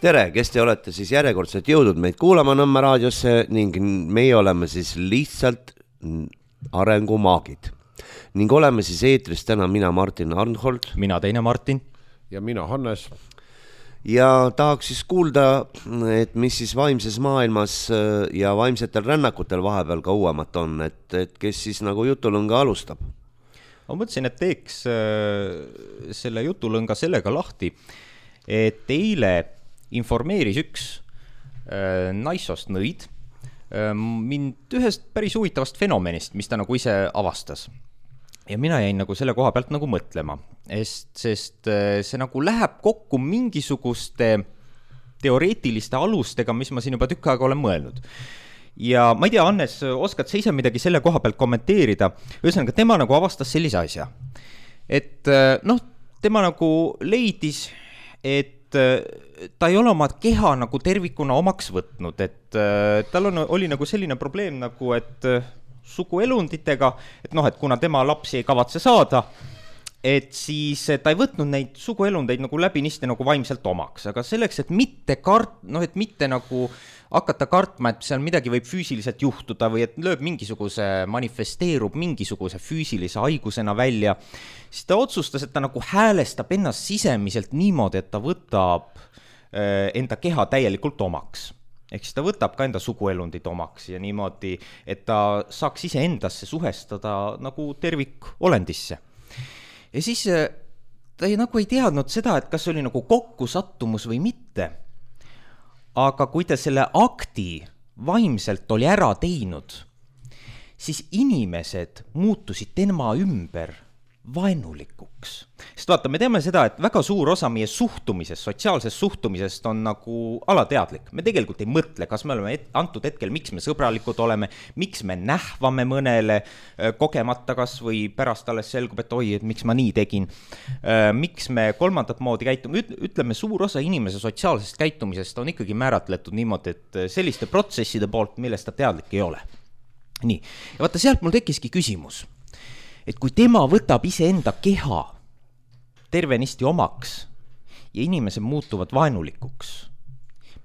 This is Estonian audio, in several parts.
Tere, kes te olete siis järjekordselt jõudnud meid kuulama Nõmme raadiosse ning meie oleme siis lihtsalt arengumaagid. Ning oleme siis eetris täna mina Martin Arnhold. Mina teine Martin. Ja mina Hannes. Ja tahaks siis kuulda, et mis siis vaimses maailmas ja vaimsetel rännakutel vahepeal ka uuemat on, et kes siis nagu jutulõnga alustab. Ma mõtlesin, et teeks selle jutulõnga sellega lahti, et eile informeeris üks naissost nõid mind ühest päris huvitavast fenomenist, mis ta nagu ise avastas. Ja mina jäin nagu selle koha pealt nagu mõtlema, sest see nagu läheb kokku mingisuguste teoreetiliste alustega, mis ma siin juba tükk aega olen mõelnud. Ja ma ei tea, Hannes, oskad sa ise midagi selle koha pealt kommenteerida? Ühesõnaga, tema nagu avastas sellise asja. Et tema nagu leidis, et ta ei ole oma keha nagu tervikuna omaks võtnud, et tal oli nagu selline probleem nagu, et suguelunditega, et kuna tema lapsi ei kavatse saada, et siis ta ei võtnud neid suguelundeid nagu läbinisti nagu vaimselt omaks, aga selleks, et mitte nagu hakata kartma, et seal midagi võib füüsiliselt juhtuda või et manifesteerub mingisuguse füüsilise haigusena välja, siis ta otsustas, et ta nagu häälestab ennast sisemiselt niimoodi, et ta võtab enda keha täielikult omaks. Ehk siis ta võtab ka enda suguelundid omaks ja niimoodi, et ta saaks ise endasse suhestada nagu tervikolendisse. Ja siis ta ei teadnud seda, et kas oli nagu kokkusattumus või mitte. Aga kui ta selle akti vaimselt oli ära teinud, siis inimesed muutusid tema ümber vaenulikuks. Sest vaata, me teame seda, et väga suur osa meie suhtumisest, sotsiaalsest suhtumisest on nagu alateadlik. Me tegelikult ei mõtle, kas me oleme antud hetkel, miks me sõbralikud oleme, miks me nähvame mõnele kogemata kas või pärast alles selgub, et oi, et miks ma nii tegin. Miks me kolmandat moodi käitume. Ütleme, suur osa inimese sotsiaalsest käitumisest on ikkagi määratletud niimoodi, et selliste protsesside poolt, millest ta teadlik ei ole. Nii. Ja vaata, sealt mul tekkiski küsimus. Et kui tema võtab iseenda keha tervenisti omaks ja inimesed muutuvad vaenulikuks,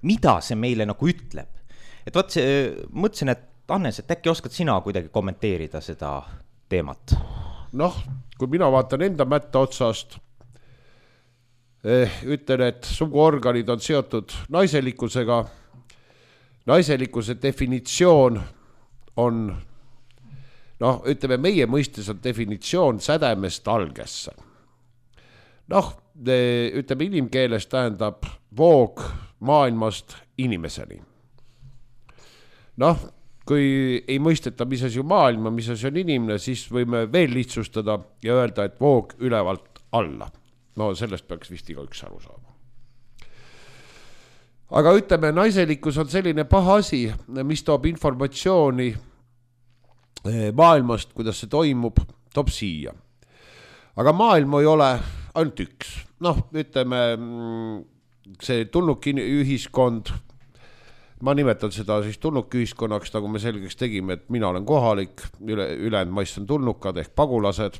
mida see meile nagu ütleb? Et mõtlesin, et Hannes, et äkki oskad sina kuidagi kommenteerida seda teemat? Kui mina vaatan enda mätta otsast, ütlen, et suguorganid on seotud naiselikkusega. Naiselikkuse definitsioon on ütleme, meie mõistes on definitsioon sädemest algesse. Ütleme, inimkeeles tähendab voog maailmast inimeseni. Kui ei mõisteta, mis asi on maailma, mis asi on inimene, siis võime veel lihtsustada ja öelda, et voog ülevalt alla. Sellest peaks vist igaüks aru saama. Aga ütleme, naiselikkus on selline paha asi, mis toob informatsiooni maailmast, kuidas see toimub, toob siia. Aga maailm ei ole ainult üks. Ütleme, see tulnuki ühiskond, ma nimetan seda siis tulnuki ühiskonnaks, nagu me selgeks tegime, et mina olen kohalik, ülejäänud maist on tulnukad ehk pagulased.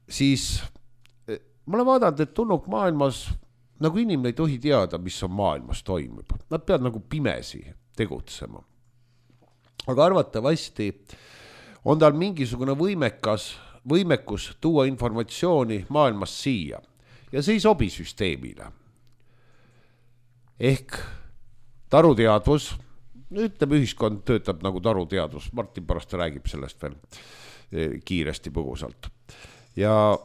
Siis ma olen vaadanud, et tulnuk maailmas, nagu inimene ei tohi teada, mis on maailmas toimub. Nad peavad nagu pimesi tegutsema. Aga arvatavasti on tal mingisugune võimekus tuua informatsiooni maailmast siia ja see ei sobi süsteemile. Ehk taruteadvus, ütleme, ühiskond töötab nagu taruteadvus, Martin pärast räägib sellest veel kiiresti põgusalt. Ja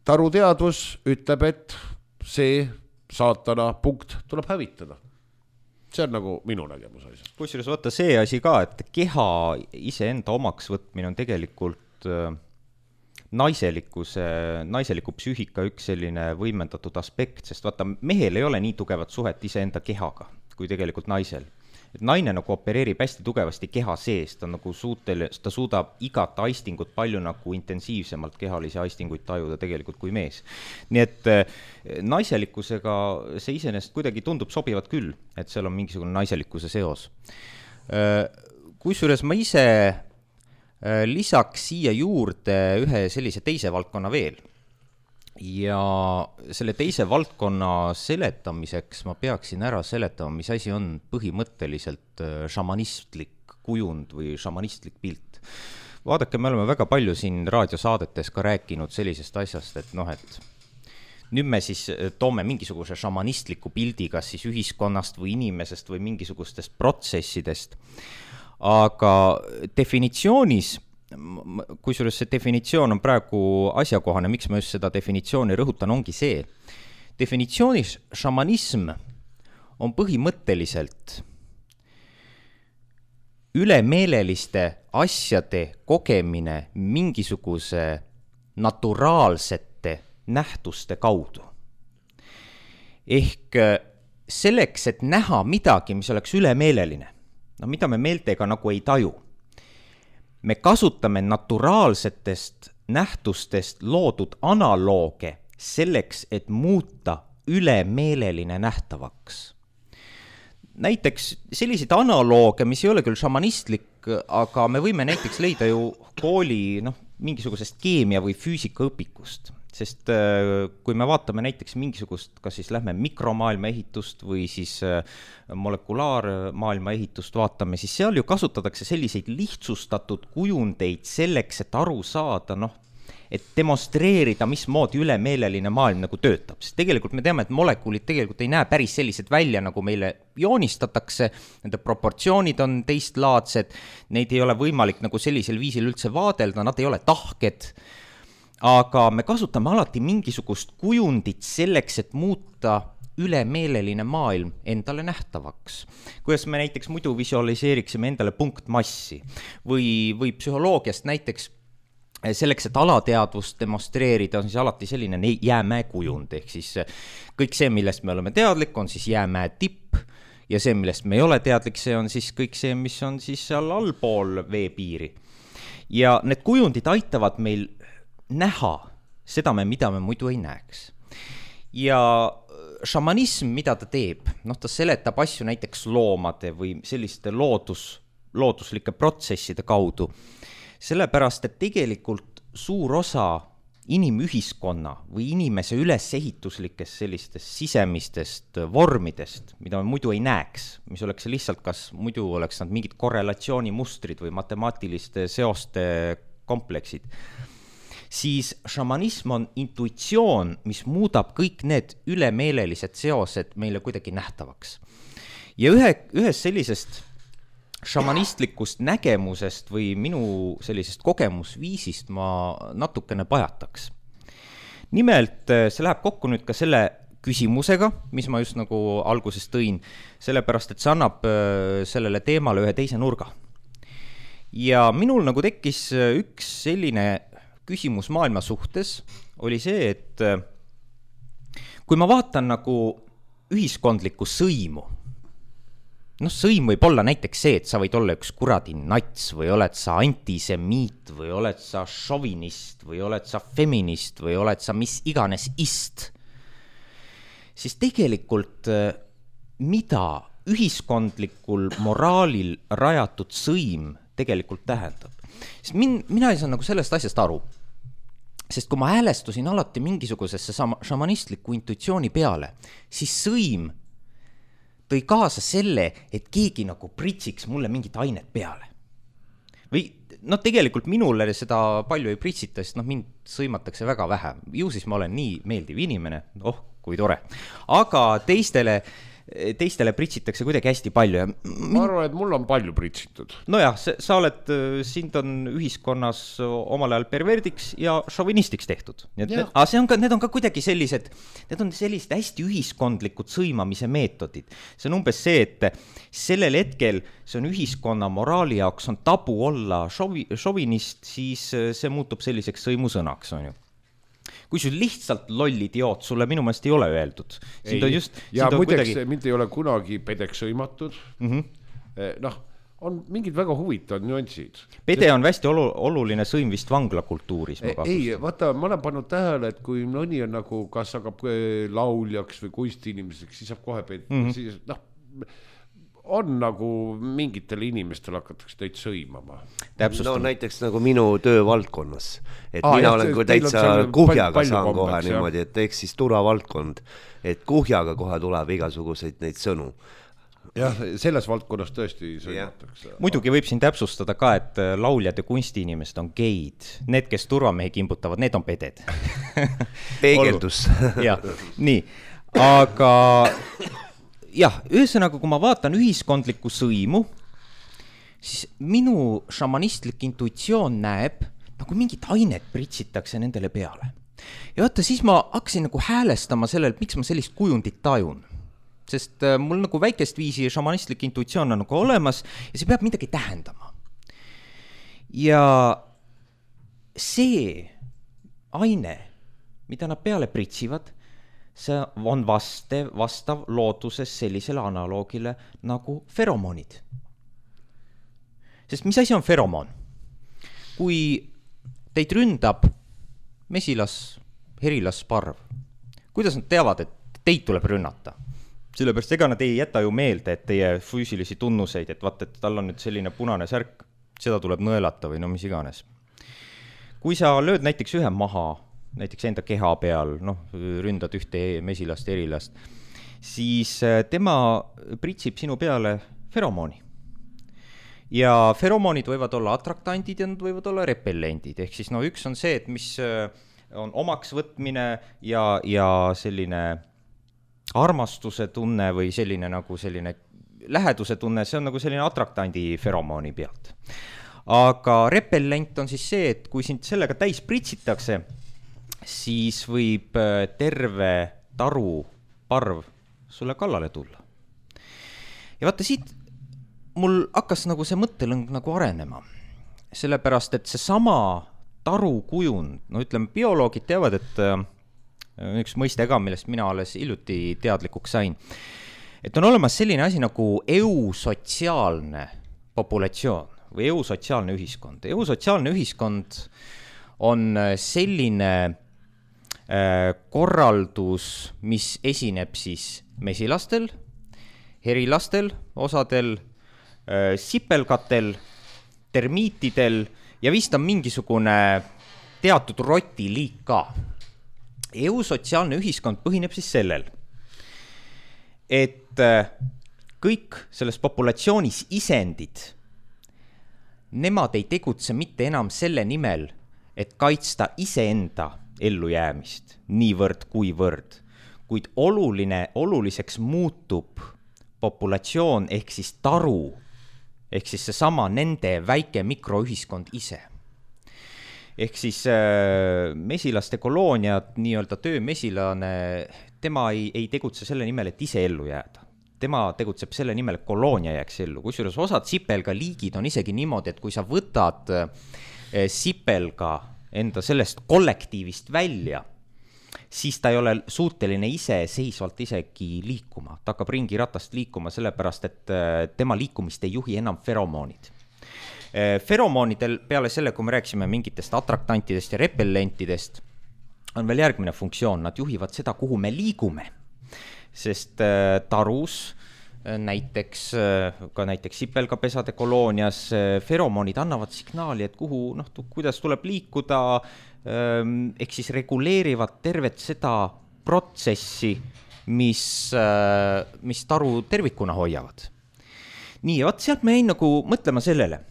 taruteadvus ütleb, et see saatana punkt tuleb hävitada. See on nagu minu nägemus asjast. Kusjuures vaata see asi ka, et keha iseenda omaks võtmine on tegelikult naiseliku psüühika üks selline võimendatud aspekt, sest vaata, mehel ei ole nii tugevat suhet iseenda kehaga kui tegelikult naisel. Et naine nagu opereerib hästi tugevasti keha sees, ta suudab igat aistingut palju nagu intensiivsemalt kehalisi aistinguid tajuda tegelikult kui mees. Nii et naiselikkusega see iseenesest kuidagi tundub sobivat küll, et seal on mingisugune naiselikkuse seos. Kusjuures ma ise lisaks siia juurde ühe sellise teise valdkonna veel. ja selle teise valdkonna seletamiseks ma peaksin ära seletama, mis asi on põhimõtteliselt šamanistlik kujund või šamanistlik pilt. Vaadake, me oleme väga palju siin raadiosaadetes ka rääkinud sellisest asjast, et et nüüd me siis toome mingisuguse šamanistliku pildi, kas siis ühiskonnast või inimesest või mingisugustest protsessidest. Aga definitsioonis, kusjuures see definitsioon on praegu asjakohane, miks ma just seda definitsiooni rõhutan, ongi see. Definitsioonis šamanism on põhimõtteliselt ülemeeleliste asjade kogemine mingisuguse naturaalsete nähtuste kaudu. Ehk selleks, et näha midagi, mis oleks ülemeeleline, mida me meeltega nagu ei taju, me kasutame naturaalsetest nähtustest loodud analooge selleks, et muuta ülemeeleline nähtavaks. Näiteks selliseid analooge, mis ei ole küll šamanistlik, aga me võime näiteks leida ju kooli mingisugusest keemia või füüsika õpikust. Sest kui me vaatame näiteks mingisugust, kas siis lähme mikromaailma ehitust või siis molekulaarmaailma ehitust vaatame, siis seal ju kasutatakse selliseid lihtsustatud kujundeid selleks, et aru saada, et demonstreerida, mismoodi ülemeeleline maailm nagu töötab. Sest tegelikult me teame, et molekulid tegelikult ei näe päris sellised välja, nagu meile joonistatakse, nende proportsioonid on teistlaadsed, neid ei ole võimalik nagu sellisel viisil üldse vaadelda, nad ei ole tahked, aga me kasutame alati mingisugust kujundit selleks, et muuta ülemeeleline maailm endale nähtavaks. Kuidas me näiteks muidu visualiseeriksime endale punktmassi või psühholoogiast näiteks selleks, et alateadvust demonstreerida, on siis alati selline jäämäe kujund, ehk siis kõik see, millest me oleme teadlik, on siis jäämäe tipp ja see, millest me ei ole teadlik, see on siis kõik see, mis on siis seal allpool veepiiri. Ja need kujundid aitavad meil näha seda, mida me muidu ei näeks. Ja šamanism, mida ta teeb, ta seletab asju näiteks loomade või selliste looduslike protsesside kaudu, sellepärast, et tegelikult suur osa inimühiskonna või inimese ülesehituslikest sellistest sisemistest vormidest, mida me muidu ei näeks, mis oleks lihtsalt, kas muidu oleks nad mingid korrelatsioonimustrid või matemaatiliste seoste kompleksid, siis šamanism on intuitsioon, mis muudab kõik need ülemeelelised seosed meile kuidagi nähtavaks. Ja ühes sellisest šamanistlikust nägemusest või minu sellisest kogemusviisist ma natukene pajataks. Nimelt, see läheb kokku nüüd ka selle küsimusega, mis ma just nagu alguses tõin, sellepärast, et see annab sellele teemale ühe teise nurga. Ja minul nagu tekkis üks selline küsimus maailma suhtes, oli see, et kui ma vaatan nagu ühiskondlikku sõimu, sõim võib olla näiteks see, et sa võid olla üks kuradi nats või oled sa antisemiit või oled sa šovinist või oled sa feminist või oled sa mis iganes ist, siis tegelikult mida ühiskondlikul moraalil rajatud sõim tegelikult tähendab. Sest mina ei saa nagu sellest asjast aru, sest kui ma häälestusin alati mingisugusesse šamanistliku intuitsiooni peale, siis sõim tõi kaasa selle, et keegi nagu pritsiks mulle mingit ainet peale. Või tegelikult minule seda palju ei pritsita, sest mind sõimatakse väga vähe. Ju siis ma olen nii meeldiv inimene, kui tore. Aga teistele pritsitakse kuidagi hästi palju. Ma arvan, et mul on palju pritsitud. Nojah, sind on ühiskonnas omal ajal perverdiks ja šovinistiks tehtud. Aga need on ka kuidagi sellised hästi ühiskondlikud sõimamise meetodid. See on umbes see, et sellel hetkel see on ühiskonna moraali jaoks on tabu olla šovinist, siis see muutub selliseks sõimusõnaks, on ju. Kui sul lihtsalt loll idioot, sulle minu meelest ei ole öeldud. Ja muideks mind ei ole kunagi pedeks sõimatud. On mingid väga huvitavad nüansid. Pede on hästi oluline sõim vist vanglakultuuris. Ei, vaata, ma olen pannud tähele, et kui mõni on nagu, kas hakkab lauljaks või kunstiinimeseks, siis saab kohe pede. on nagu mingitel inimestel hakatakse teid sõimama. No näiteks nagu minu töövaldkonnas, et mina olen kui täitsa kuhjaga saan kohe niimoodi, et eks siis turvavaldkond, et kuhjaga kohe tuleb igasuguseid neid sõnu. Jah, selles valdkonnas tõesti sõimatakse. Muidugi võib siin täpsustada ka, et lauljad ja kunstiinimesed on geid. Need, kes turvamehi kimbutavad, need on peded. Peegeldus. Jah, nii. Aga jah, ühesõnaga, kui ma vaatan ühiskondlikku sõimu, siis minu šamanistlik intuitsioon näeb, nagu mingit ainet pritsitakse nendele peale. Ja vaata, siis ma hakkasin nagu häälestama sellele, miks ma sellist kujundit tajun. Sest mul nagu väikest viisi šamanistlik intuitsioon on nagu olemas ja see peab midagi tähendama. Ja see aine, mida nad peale pritsivad, see on vastav looduses sellisele analoogile nagu feromonid. Sest mis asi on feromoon? Kui teid ründab mesilas, herilas, parv, kuidas nad teavad, et teid tuleb rünnata? Sellepärast ega nad ei jäta ju meelde, et teie füüsilisi tunnuseid, et vaata, et tal on nüüd selline punane särk, seda tuleb nõelata või no mis iganes. Kui sa lööd näiteks ühe maha, näiteks enda keha peal, ründad ühte mesilast, erilast, siis tema pritsib sinu peale feromooni. Ja feromoonid võivad olla atraktandid ja nad võivad olla repellendid. Ehk siis üks on see, et mis on omaks võtmine ja selline armastuse tunne või selline nagu selline läheduse tunne, see on nagu selline atraktandi feromooni pealt. Aga repellent on siis see, et kui sind sellega täis pritsitakse, siis võib terve taru parv sulle kallale tulla. Ja vaata, siit mul hakkas nagu see mõttelõng nagu arenema. Sellepärast, et see sama taru kujund, ütleme, bioloogid teavad, et üks mõiste ka, millest mina alles hiljuti teadlikuks sain, et on olemas selline asi nagu eusotsiaalne populatsioon või eusotsiaalne ühiskond. Eusotsiaalne ühiskond on selline korraldus, mis esineb siis mesilastel, herilastel, osadel sipelgatel, termiitidel ja vist on mingisugune teatud rotiliik ka. Eusotsiaalne ühiskond põhineb siis sellel, et kõik selles populatsioonis isendid, nemad ei tegutse mitte enam selle nimel, et kaitsta iseenda ellujäämist niivõrd kuivõrd, kuid oluliseks muutub populatsioon ehk siis taru, ehk siis seesama nende väike mikroühiskond ise. Ehk siis mesilaste kolooniad, nii-öelda töömesilane, tema ei tegutse selle nimel, et ise ellu jääda. Tema tegutseb selle nimel, et koloonia jääks ellu. Kusjuures osad sipelga liigid on isegi niimoodi, et kui sa võtad sipelga enda sellest kollektiivist välja, siis ta ei ole suuteline ise seisvalt isegi liikuma. Ta hakkab ringi ratast liikuma sellepärast, et tema liikumist ei juhi enam feromoonid. Feromoonidel peale selle, kui me rääksime mingitest atraktantidest ja repellentidest, on veel järgmine funktsioon. Nad juhivad seda, kuhu me liigume. Sest tarus, näiteks sipelgapesade koloonias, feromoonid annavad signaali, et kuhu, kuidas tuleb liikuda, ehk siis reguleerivad tervet seda protsessi, mis taru tervikuna hoiavad. Nii, ja sealt me jäin nagu mõtlema sellele.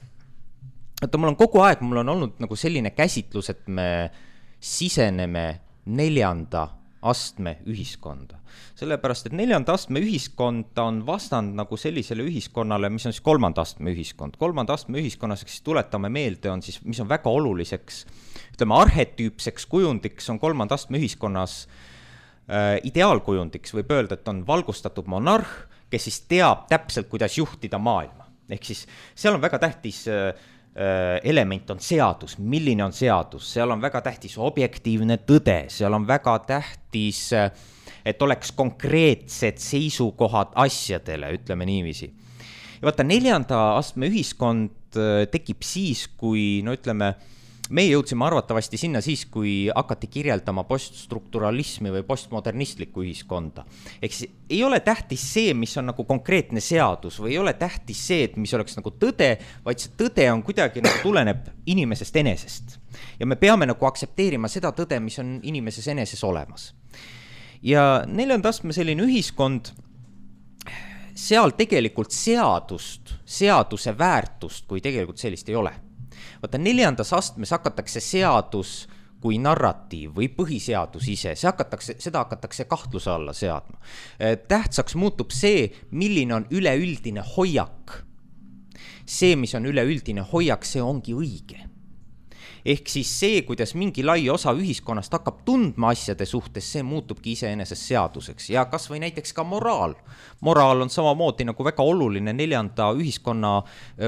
Et mul on kogu aeg, mul on olnud nagu selline käsitlus, et me siseneme 4. astme ühiskonda. Sellepärast, et 4. astme ühiskond on vastand nagu sellisele ühiskonnale, mis on siis 3. astme ühiskond. 3. astme ühiskonnas, siis tuletame meelde, on siis, mis on väga oluliseks, ütleme, arhetüüpseks kujundiks on 3. astme ühiskonnas ideaalkujundiks, võib öelda, et on valgustatud monarh, kes siis teab täpselt, kuidas juhtida maailma. Ehk siis seal on väga tähtis element on seadus, milline on seadus, seal on väga tähtis objektiivne tõde, seal on väga tähtis, et oleks konkreetsed seisukohad asjadele, ütleme niiviisi. Ja vaata, 4. astme ühiskond tekib siis, kui, ütleme, meie jõudsime arvatavasti sinna siis, kui hakati kirjeldama poststrukturalismi või postmodernistlikku ühiskonda. Ehk siis ei ole tähtis see, mis on nagu konkreetne seadus või ei ole tähtis see, et mis oleks nagu tõde, vaid see tõde on kuidagi nagu tuleneb inimesest enesest. Ja me peame nagu aktsepteerima seda tõde, mis on inimeses eneses olemas. Ja 4. astme selline ühiskond, seal tegelikult seaduse väärtust, kui tegelikult sellist ei ole. Vaata, 4. astmes hakatakse seadus kui narratiiv või põhiseadus ise, seda hakatakse kahtluse alla seadma. Tähtsaks muutub see, milline on üleüldine hoiak. See, mis on üleüldine hoiak, see ongi õige. Ehk siis see, kuidas mingi lai osa ühiskonnast hakkab tundma asjade suhtes, see muutubki iseenesest seaduseks. Ja kas või näiteks ka moraal. Moraal on samamoodi nagu väga oluline 4. ühiskonna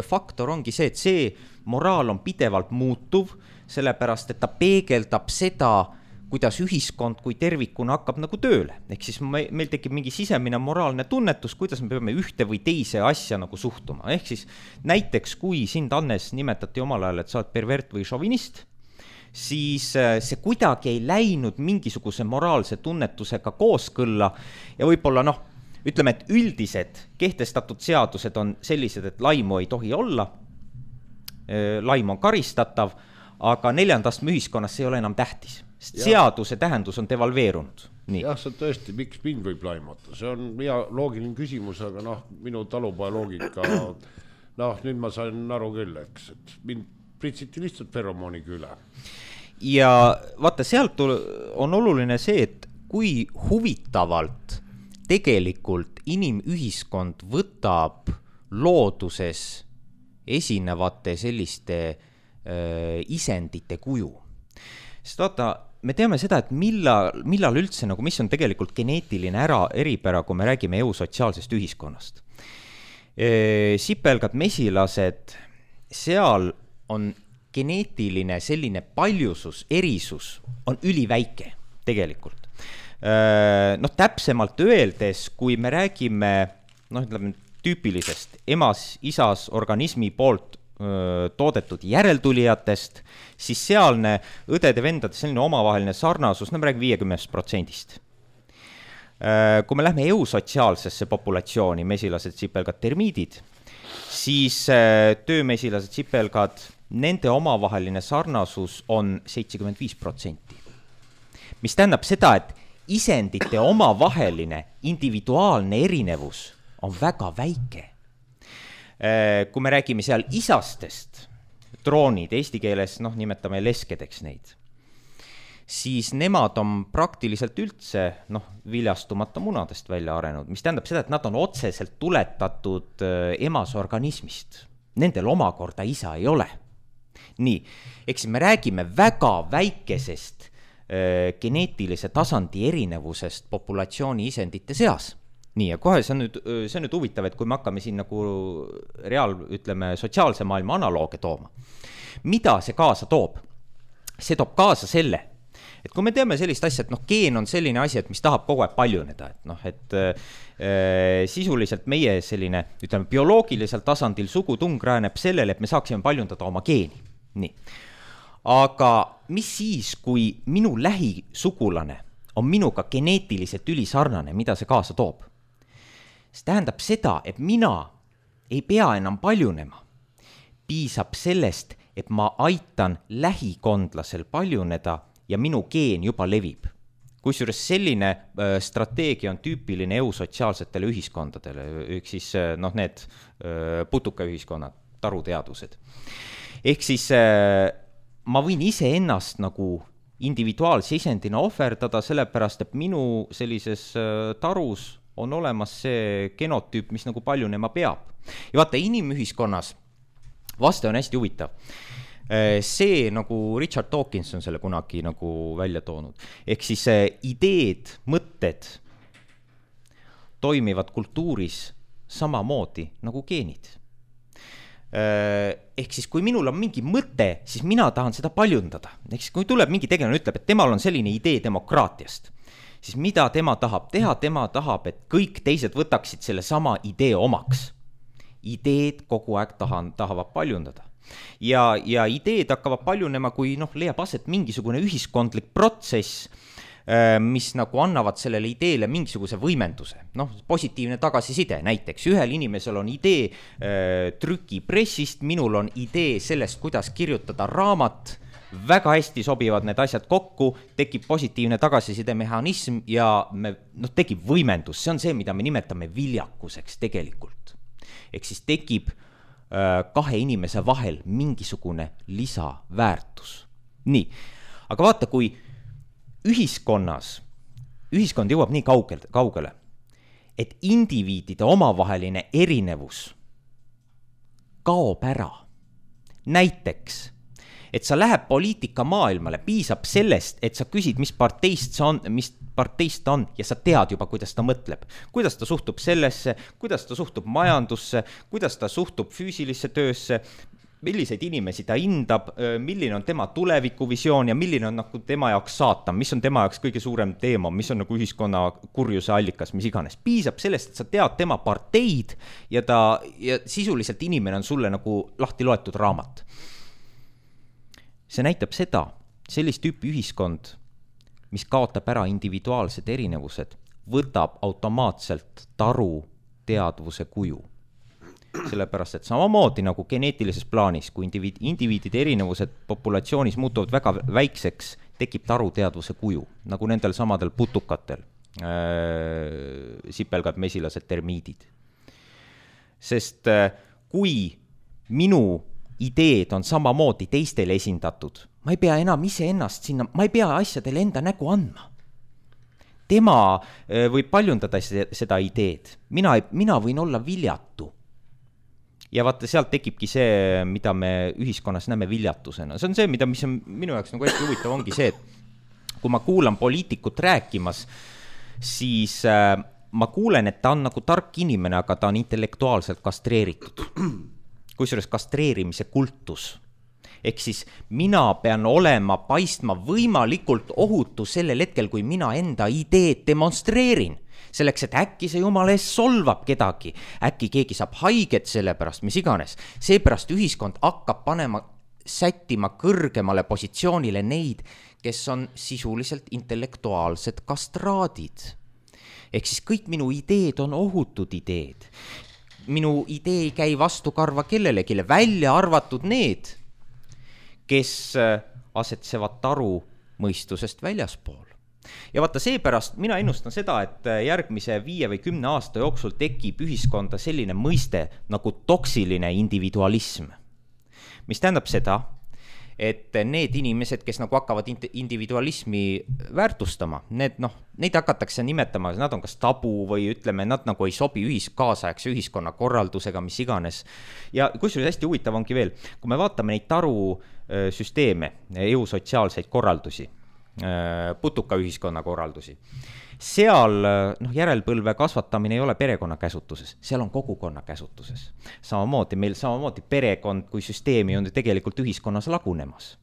faktor ongi see, et see moraal on pidevalt muutuv, sellepärast, et ta peegeldab seda, kuidas ühiskond kui tervikuna hakkab nagu tööle. Ehk siis meil tekib mingi sisemine moraalne tunnetus, kuidas me peame ühte või teise asja nagu suhtuma. Ehk siis näiteks, kui sind, Hannes, nimetati omal ajal, et sa oled pervert või šovinist, siis see kuidagi ei läinud mingisuguse moraalse tunnetusega kooskõlla ja võib-olla ütleme, et üldised kehtestatud seadused on sellised, et laimu ei tohi olla, laim on karistatav, aga 4. astme ühiskonnas see ei ole enam tähtis. Seaduse tähendus on devalveerunud. Nii. Jah, see tõesti, miks mind võib laimata. See on hea loogiline küsimus, aga minu talupoja loogika, nüüd ma sain aru küll, eks, et mind pritsiti lihtsalt feromooniga üle. Ja vaata, sealt on oluline see, et kui huvitavalt tegelikult inimühiskond võtab looduses esinevate selliste isendite kuju. Sest vaata, me teame seda, et millal üldse, nagu mis on tegelikult geneetiline eripära, kui me räägime eusotsiaalsest ühiskonnast. Sipelgad, mesilased, seal on geneetiline selline paljusus, erisus on üliväike tegelikult. Täpsemalt öeldes, kui me räägime tüüpilisest emas-isas organismi poolt toodetud järeltulijatest, siis sealne õdede-vendade selline omavaheline sarnasus, me räägime 50%. Kui me lähme eusotsiaalsesse populatsiooni, mesilased, sipelgad, termiidid, siis töömesilased, sipelgad, nende omavaheline sarnasus on 75%. Mis tähendab seda, et isendite omavaheline individuaalne erinevus on väga väike. Kui me räägime seal isastest, droonid, eesti keeles nimetame leskedeks neid, siis nemad on praktiliselt üldse viljastumata munadest välja arenud, mis tähendab seda, et nad on otseselt tuletatud emasorganismist. Nendel omakorda isa ei ole. Nii, eks me räägime väga väikesest geneetilise tasandi erinevusest populatsiooni isendite seas. Nii, ja kohe see on nüüd huvitav, et kui me hakkame siin nagu sotsiaalse maailma analooge tooma. Mida see kaasa toob? See toob kaasa selle, et kui me teame sellist asja, et geen on selline asi, et mis tahab kogu aeg paljuneda, et sisuliselt meie selline, bioloogilisel tasandil sugutung rääneb sellele, et me saaksime paljundada oma geeni. Nii. Aga mis siis, kui minu lähisugulane on minuga geneetiliselt ülisarnane, mida see kaasa toob? See tähendab seda, et mina ei pea enam paljunema. Piisab sellest, et ma aitan lähikondlasel paljuneda ja minu geen juba levib. Kusjuures selline strateegia on tüüpiline eusotsiaalsetele ühiskondadele, siis need putukaühiskonnad, taruteadused. Ehk siis ma võin ise ennast nagu individuaalse isendina ohverdada, sellepärast, et minu sellises tarus on olemas see genotüüp, mis nagu paljunema peab. Ja vaata, inimühiskonnas vaste on hästi huvitav. See nagu Richard Dawkins on selle kunagi nagu välja toonud. Ehk siis ideed, mõtted toimivad kultuuris samamoodi nagu geenid. Ehk siis kui minul on mingi mõte, siis mina tahan seda paljundada. Ehk siis kui tuleb mingi tegelane ütleb, et temal on selline idee demokraatiast, siis mida tema tahab teha? Tema tahab, et kõik teised võtaksid selle sama idee omaks. Ideed kogu aeg tahavad paljundada. ja ideed hakkavad paljunema, kui leiab aset mingisugune ühiskondlik protsess, mis nagu annavad sellele ideele mingisuguse võimenduse. Positiivne tagasiside, näiteks ühel inimesel on idee trükipressist, minul on idee sellest, kuidas kirjutada raamat, väga hästi sobivad need asjad kokku, tekib positiivne tagasiside mehhanism ja tekib võimendus. See on see, mida me nimetame viljakuseks tegelikult. Ehk siis tekib kahe inimese vahel mingisugune lisaväärtus. Nii, aga vaata, kui ühiskond jõuab nii kaugele, et indiviidide omavaheline erinevus kaob ära. Näiteks, et sa läheb poliitika maailmale, piisab sellest, et sa küsid, mis parteist ta on ja sa tead juba, kuidas ta mõtleb. Kuidas ta suhtub sellesse, kuidas ta suhtub majandusse, kuidas ta suhtub füüsilisse töösse, milliseid inimesi ta hindab, milline on tema tulevikuvisioon ja milline on tema jaoks saatan, mis on tema jaoks kõige suurem teema, mis on ühiskonna kurjuse allikas, mis iganes. Piisab sellest, et sa tead tema parteid ja sisuliselt inimene on sulle lahti loetud raamat. See näitab sellist tüüpi ühiskond, mis kaotab ära individuaalsed erinevused, võtab automaatselt taru teadvuse kuju. Sellepärast, et samamoodi nagu geneetilises plaanis, kui indiviidide erinevused populatsioonis muutuvad väga väikseks, tekib taru teadvuse kuju, nagu nendel samadel putukatel, sipelgad, mesilased, termiidid. Sest kui minu ideed on samamoodi teistele esindatud, ma ei pea enam iseennast sinna, ma ei pea asjadele enda nägu andma. Tema võib paljundada seda ideed, mina võin olla viljatu. Ja vaata, sealt tekibki see, mida me ühiskonnas näeme viljatusena. See on see, mis on minu jaoks hästi huvitav, ongi see, et kui ma kuulan poliitikut rääkimas, siis ma kuulen, et ta on nagu tark inimene, aga ta on intellektuaalselt kastreeritud. Kusjuures kastreerimise kultus. Ehk siis mina pean paistma võimalikult ohutu sellel hetkel, kui mina enda ideed demonstreerin. Selleks, et äkki see jumala ees solvab kedagi, äkki keegi saab haiget selle pärast, mis iganes. Seepärast ühiskond hakkab sättima kõrgemale positsioonile neid, kes on sisuliselt intellektuaalsed kastraadid. Ehk siis kõik minu ideed on ohutud ideed. Minu idee ei käi vastu karva kellelegi, välja arvatud need, kes asetsevad taru mõistusest väljaspool. Ja vaata, seepärast mina ennustan seda, et järgmise 5 või 10 aasta jooksul tekib ühiskonda selline mõiste nagu toksiline individualism. Mis tähendab seda, et need inimesed, kes hakkavad individualismi väärtustama, neid hakatakse nimetama, nad on kas tabu või ütleme, nad ei sobi kaasaegse ühiskonna korraldusega, mis iganes. Ja kusjuures hästi huvitav ongi veel, kui me vaatame neid tarusüsteeme, EU-sotsiaalseid korraldusi, putuka ühiskonna korraldusi. Seal järelpõlve kasvatamine ei ole perekonna käsutuses, seal on kogukonna käsutuses. Samamoodi perekond kui süsteemi on tegelikult ühiskonnas lagunemas.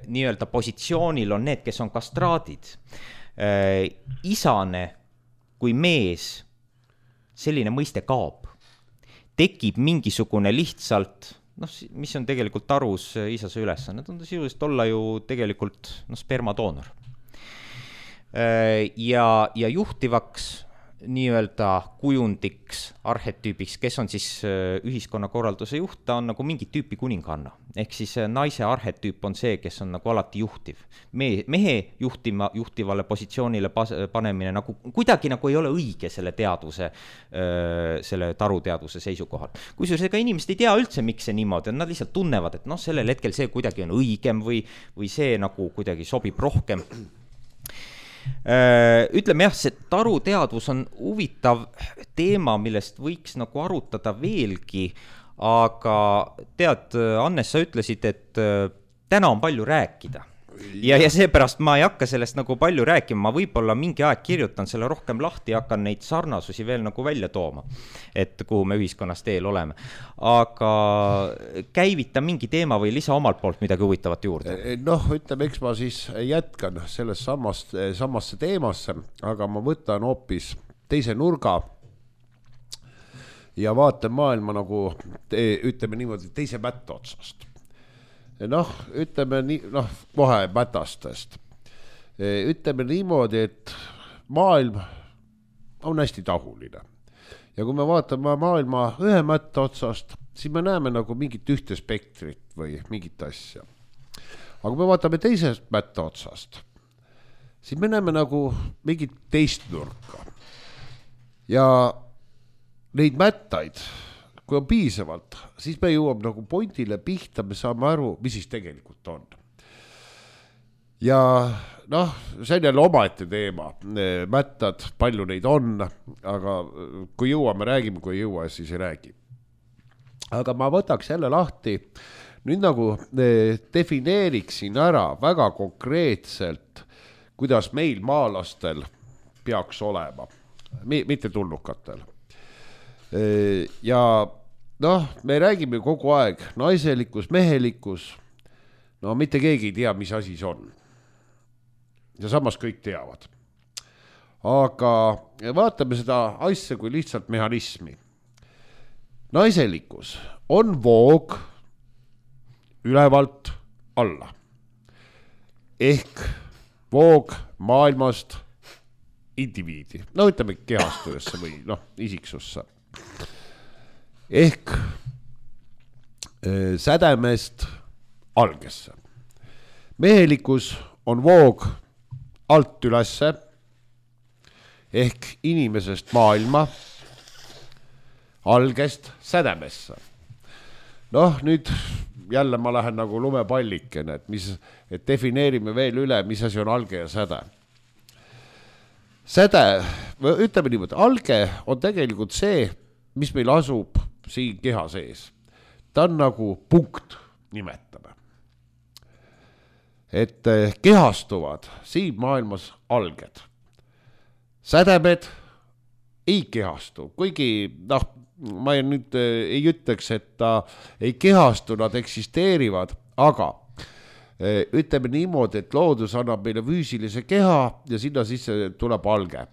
Nii-öelda positsioonil on need, kes on kastraadid. Isane kui mees, selline mõiste kaob. Tekib mingisugune lihtsalt mis on tegelikult tarus isase ülesanne, on ta sisuliselt olla ju tegelikult spermadoonor. Ja juhtivaks nii-öelda kujundiks, arhetüübiks, kes on siis ühiskonnakorralduse juht, ta on nagu mingit tüüpi kuninganna. Ehk siis naise arhetüüp on see, kes on nagu alati juhtiv. Mehe juhtivale positsioonile panemine nagu kuidagi nagu ei ole õige selle teadvuse, selle taruteadvuse seisukohal. Kusjuures ega inimesed ei tea üldse, miks see niimoodi on, nad lihtsalt tunnevad, et sellel hetkel see kuidagi on õigem või see nagu kuidagi sobib rohkem. Ütleme jah, see taruteadvus on huvitav teema, millest võiks nagu arutada veelgi, aga tead, Annes, sa ütlesid, et täna on palju rääkida. Ja seepärast ma ei hakka sellest nagu palju rääkima, ma võib-olla mingi aeg kirjutan selle rohkem lahti ja hakkan neid sarnasusi veel nagu välja tooma, et kuhu me ühiskonnas teel oleme. Aga käivita mingi teema või lisa omalt poolt midagi huvitavat juurde. Ütleme, eks ma siis jätkan selles samasse teemasse, aga ma võtan hoopis teise nurga. ja vaatan maailma nagu ütleme niimoodi teise mätta otsast. Noh, ütleme nii, kohe mätastest. Ütleme niimoodi, et maailm on hästi tahuline. Ja kui me vaatame maailma ühe mätta otsast, siis me näeme nagu mingit ühte spektrit või mingit asja. Aga kui me vaatame teisest mätta otsast, siis me näeme nagu mingit teist nurka. Ja neid mättaid, kui on piisavalt, siis me jõuame nagu pointile pihta, me saame aru, mis siis tegelikult on. Ja see on jälle omaette teema, mättad, palju neid on, aga kui jõuame, räägime, kui ei jõua, siis ei räägi. Aga ma võtaks jälle lahti, nüüd nagu defineeriksin ära väga konkreetselt, kuidas meil maalastel peaks olema, mitte tulnukatel. Ja me räägime kogu aeg naiselikkus, mehelikkus, mitte keegi ei tea, mis asi see on. Ja samas kõik teavad. Aga vaatame seda asja kui lihtsalt mehhanismi. Naiselikkus on voog ülevalt alla. Ehk voog maailmast indiviidi. Ütleme kehastuesse või isiksusse. Ehk sädemest algesse. Mehelikkus on voog alt ülesse ehk inimesest maailma algest sädemesse. Nüüd jälle ma lähen nagu lumepallikene, et defineerime veel üle, mis asi on alge ja säde. Säde, ütleme niimoodi, alge on tegelikult see, mis meil asub siin keha sees. Ta on nagu punkt, nimetame. Et kehastuvad siin maailmas alged. Sädemed ei kehastu, kuigi ma nüüd ei ütleks, et ta ei kehastu, nad eksisteerivad, aga ütleme niimoodi, et loodus annab meile füüsilise keha ja sinna sisse tuleb alge.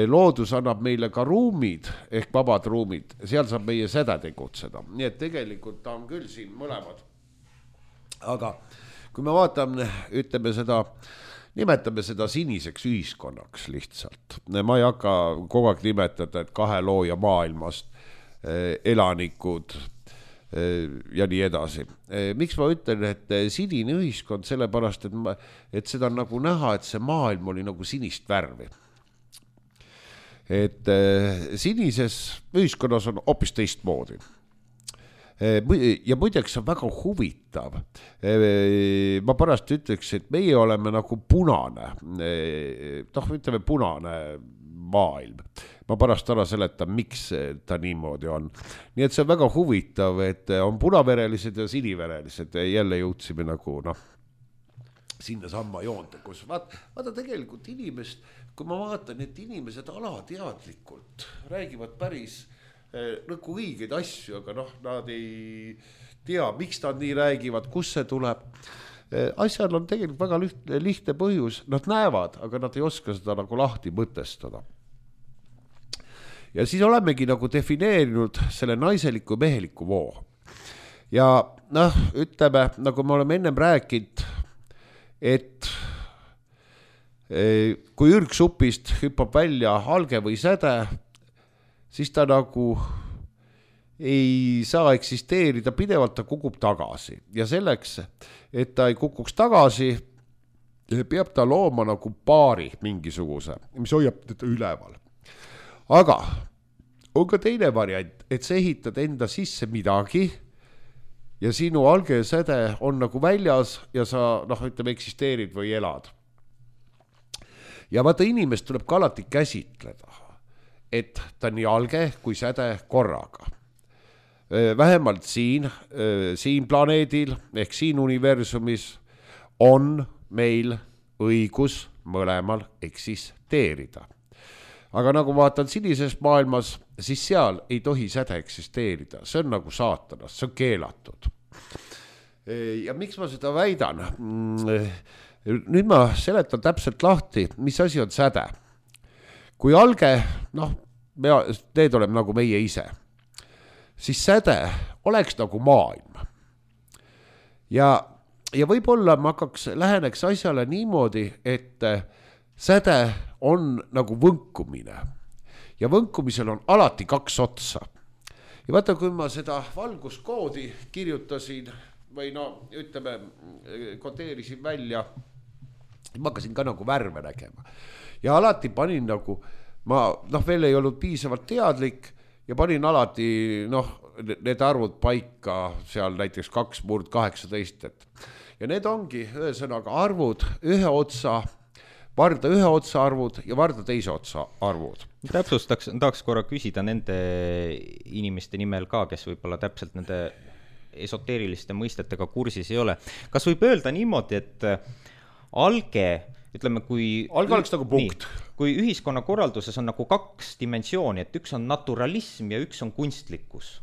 Loodus annab meile ka ruumid ehk vabad ruumid, seal saab meie säde tegutseda. Nii et tegelikult ta on küll siin mõlemad. Aga kui me vaatame, ütleme seda, nimetame seda siniseks ühiskonnaks lihtsalt. Ma ei hakka kogu aeg nimetada, et kahe looja maailmast, elanikud ja nii edasi. Miks ma ütlen, et sinine ühiskond, sellepärast, et seda on nagu näha, et see maailm oli nagu sinist värvi. Et sinises ühiskonnas on hoopis teistmoodi. Ja muideks on väga huvitav. Ma pärast ütleks, et meie oleme nagu punane, ütleme punane maailm. Ma pärast ära seletan, miks ta niimoodi on. Nii et see on väga huvitav, et on punaverelised ja siniverelised. Jälle jõudsime nagu sinna samma joonte, kus vaata tegelikult inimest, kui ma vaatan, et inimesed alateadlikult räägivad päris nagu õigeid asju, aga nad ei tea, miks nad nii räägivad, kus see tuleb. Asjal on tegelikult väga lihtne põhjus, nad näevad, aga nad ei oska seda nagu lahti mõtestada. Ja siis olemegi nagu defineerinud selle naiseliku meheliku voo. Ja ütleme, nagu me oleme ennem rääkinud, et kui ürgsupist hüppab välja alge või säde, siis ta nagu ei saa eksisteerida pidevalt, ta kukub tagasi. Ja selleks, et ta ei kukuks tagasi, peab ta looma nagu paari mingisuguse, mis hoiab teda üleval. Aga on ka teine variant, et sa ehitad enda sisse midagi ja sinu alge ja säde on nagu väljas ja sa, eksisteerid või elad. Ja vaata, inimest tuleb ka alati käsitleda, et ta nii alge kui säde korraga. Vähemalt siin planeedil ehk siin universumis on meil õigus mõlemal eksisteerida. Aga nagu vaatan sinises maailmas, siis seal ei tohi säde eksisteerida. See on nagu saatanast, see on keelatud. Ja miks ma seda väidan? Nüüd ma seletan täpselt lahti, mis asi on säde. Kui alge, need oleme nagu meie ise. siis säde oleks nagu maailm. Ja võib-olla ma läheneks asjale niimoodi, et säde on nagu võnkumine ja võnkumisel on alati 2 otsa. Ja vaata, kui ma seda valguskoodi kirjutasin või ütleme, kodeerisin välja, ma hakkasin ka nagu värve nägema ja alati panin nagu, ma veel ei olnud piisavalt teadlik ja panin alati need arvud paika seal näiteks 2/18, ja need ongi ühesõnaga arvud ühe otsa, varda ühe otsa arvud ja varda teise otsa arvud. Tahaks korra küsida nende inimeste nimel ka, kes võib-olla täpselt nende esoteeriliste mõistetega kursis ei ole. Kas võib öelda niimoodi, et alge, ütleme, alge oleks nagu punkt. Kui ühiskonnakorralduses on nagu 2 dimensiooni, et üks on naturalism ja üks on kunstlikkus.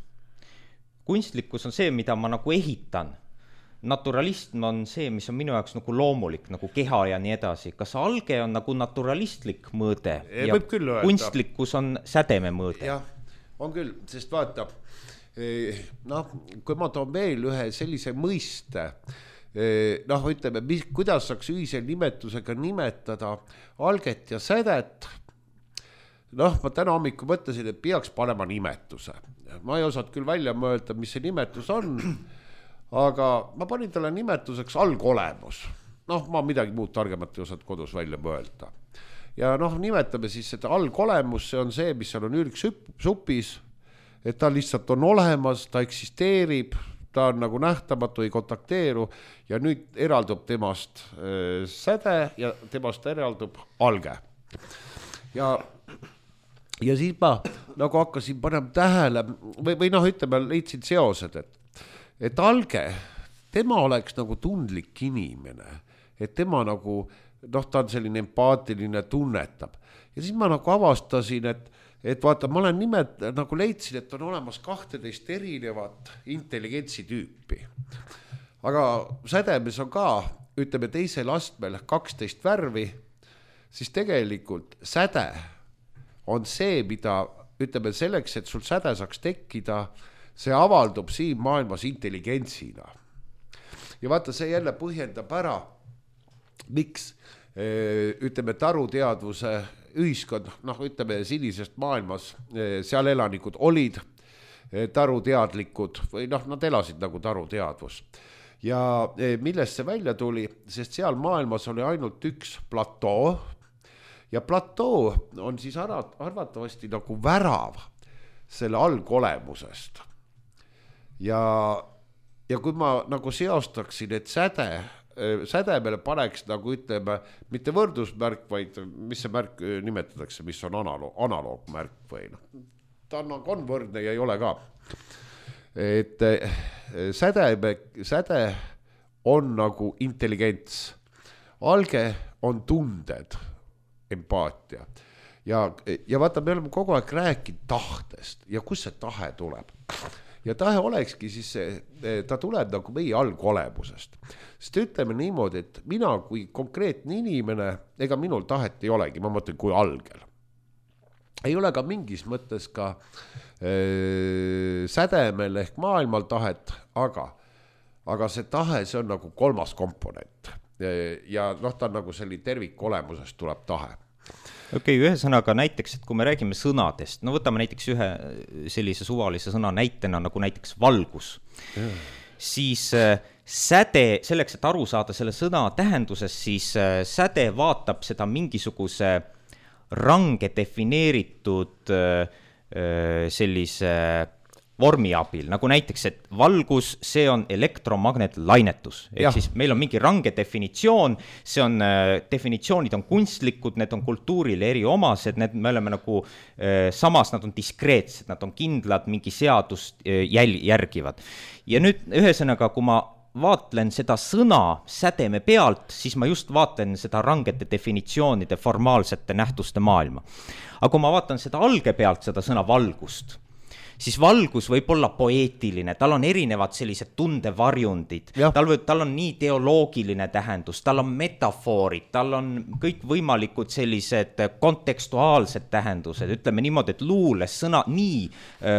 Kunstlikkus on see, mida ma nagu ehitan. Naturalism on see, mis on minu jaoks nagu loomulik, nagu keha ja nii edasi. Kas alge on nagu naturalistlik mõõde ja kunstlikkus on sädeme mõõde? Jah, on küll, sest vaata, kui ma toon veel ühe sellise mõiste, ütleme, kuidas saaks ühise nimetusega nimetada alget ja sädet, ma täna hommikul mõtlesin, et peaks panema nimetuse. Ma ei osanud küll välja mõelda, mis see nimetus on, aga ma panin talle nimetuseks algolemus. Ma midagi muud targemat ei osanud kodus välja mõelda. Ja nimetame siis seda algolemus, see on see, mis seal on ürgsupis, et ta lihtsalt on olemas, ta eksisteerib, ta on nagu nähtamatu, ei kontakteeru ja nüüd eraldub temast säde ja temast eraldub alge. Ja siis ma nagu hakkasin panema tähele või ütleme, leidsin seosed, et alge, tema oleks nagu tundlik inimene, et tema nagu, ta on selline empaatiline, tunnetab. Ja siis ma nagu avastasin, et vaata, ma olen nagu leidsin, et on olemas 12 erinevat intelligentsi tüüpi. Aga sädemes on ka, ütleme, teisel astmel 12 värvi, siis tegelikult säde on see, mida, ütleme, selleks, et sul säde saaks tekkida, see avaldub siin maailmas intelligentsina. Ja vaata, see jälle põhjendab ära, miks, ütleme, taruteadvuse ühiskond, ütleme, sinisest maailmas, seal elanikud olid taruteadlikud või nad elasid nagu taruteadvus. Ja millest see välja tuli, sest seal maailmas oli ainult üks platoo ja platoo on siis arvatavasti nagu värav selle algolemusest. Ja kui ma nagu seostaksin, et sädemele paneks nagu ütleme, mitte võrdusmärk, vaid mis see märk nimetatakse, mis on analoogmärk või ta on võrdne ja ei ole ka. Et säde on nagu intelligents, alge on tunded, empaatia ja vaata, me oleme kogu aeg rääkinud tahtest ja kus see tahe tuleb. Ja tahe olekski siis, ta tuleb nagu meie algolemusest. Sest ütleme niimoodi, et mina kui konkreetne inimene, ega minul tahet ei olegi, ma mõtlen kui algel. Ei ole ka mingis mõttes ka sädemel ehk maailmal tahet, aga see tahe, see on nagu 3. komponent. Ja ta on nagu selline tervikolemusest tuleb tahe. Okei, ühesõnaga näiteks, et kui me räägime sõnadest, võtame näiteks ühe sellise suvalise sõna näitena nagu näiteks valgus, siis säde, selleks, et aru saada selle sõna tähendusest, siis säde vaatab seda mingisuguse range defineeritud sellise vormi abil, nagu näiteks, et valgus, see on elektromagnetlainetus. Ehk siis meil on mingi range definitsioon, see on, definitsioonid on kunstlikud, need on kultuurile eriomased, me oleme nagu, samas nad on diskreetsed, nad on kindlad, mingi seadust järgivad. Ja nüüd ühesõnaga, kui ma vaatlen seda sõna sädeme pealt, siis ma just vaatlen seda rangete definitsioonide formaalsete nähtuste maailma. Aga kui ma vaatan seda alge pealt, seda sõna valgust, siis valgus võib olla poeetiline, tal on erinevad sellised tundevarjundid, tal on nii teoloogiline tähendus, tal on metafoorid, tal on kõik võimalikud sellised kontekstuaalsed tähendused, ütleme niimoodi, et luules sõna nii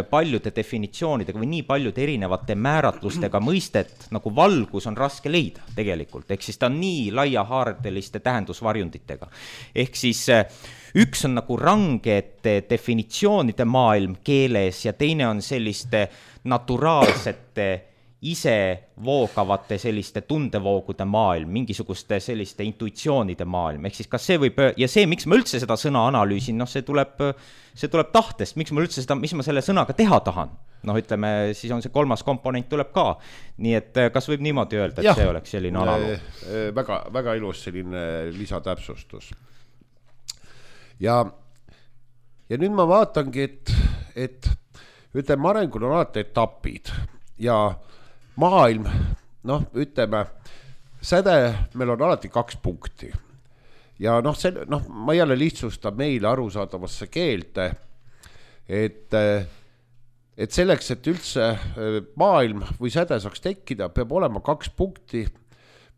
paljude definitsioonidega või nii paljude erinevate määratlustega mõistet, nagu valgus on raske leida tegelikult, ehk siis ta on nii laiahaardeliste tähendusvarjunditega. Ehk siis üks on nagu rangete definitsioonide maailm keeles ja teine on selliste naturaalsete ise voogavate selliste tundevoogude maailm, mingisuguste selliste intuitsioonide maailm, ehk siis kas see võib, ja see, miks ma üldse seda sõna analüüsin, see tuleb tahtest, miks ma üldse seda, mis ma selle sõnaga teha tahan, ütleme, siis on see kolmas komponent tuleb ka, nii et kas võib niimoodi öelda, et see oleks selline analoog? Väga, väga ilus selline lisatäpsustus. Ja nüüd ma vaatangi, et ütleme, arengul on alati etapid ja maailm, ütleme, säde, meil on alati 2 punkti. Ja ma jälle lihtsustan meile arusaadavasse keelde, et selleks, et üldse maailm või säde saaks tekkida, peab olema 2 punkti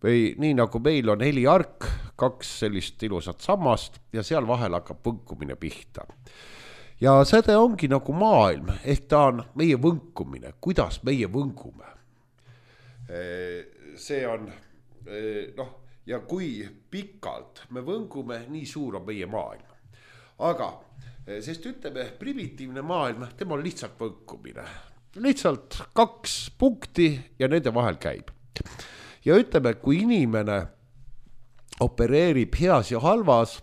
või nii nagu meil on heliark, 2 sellist ilusat sammast ja seal vahel hakkab võnkumine pihta. Ja säde ongi nagu maailm, ehk ta on meie võnkumine, kuidas meie võngume. See on, ja kui pikalt me võngume, nii suur on meie maailm. Aga, sest ütleme, primitiivne maailm, tema on lihtsalt võnkumine. Lihtsalt 2 punkti ja nende vahel käib. Ja ütleme, kui inimene opereerib heas ja halvas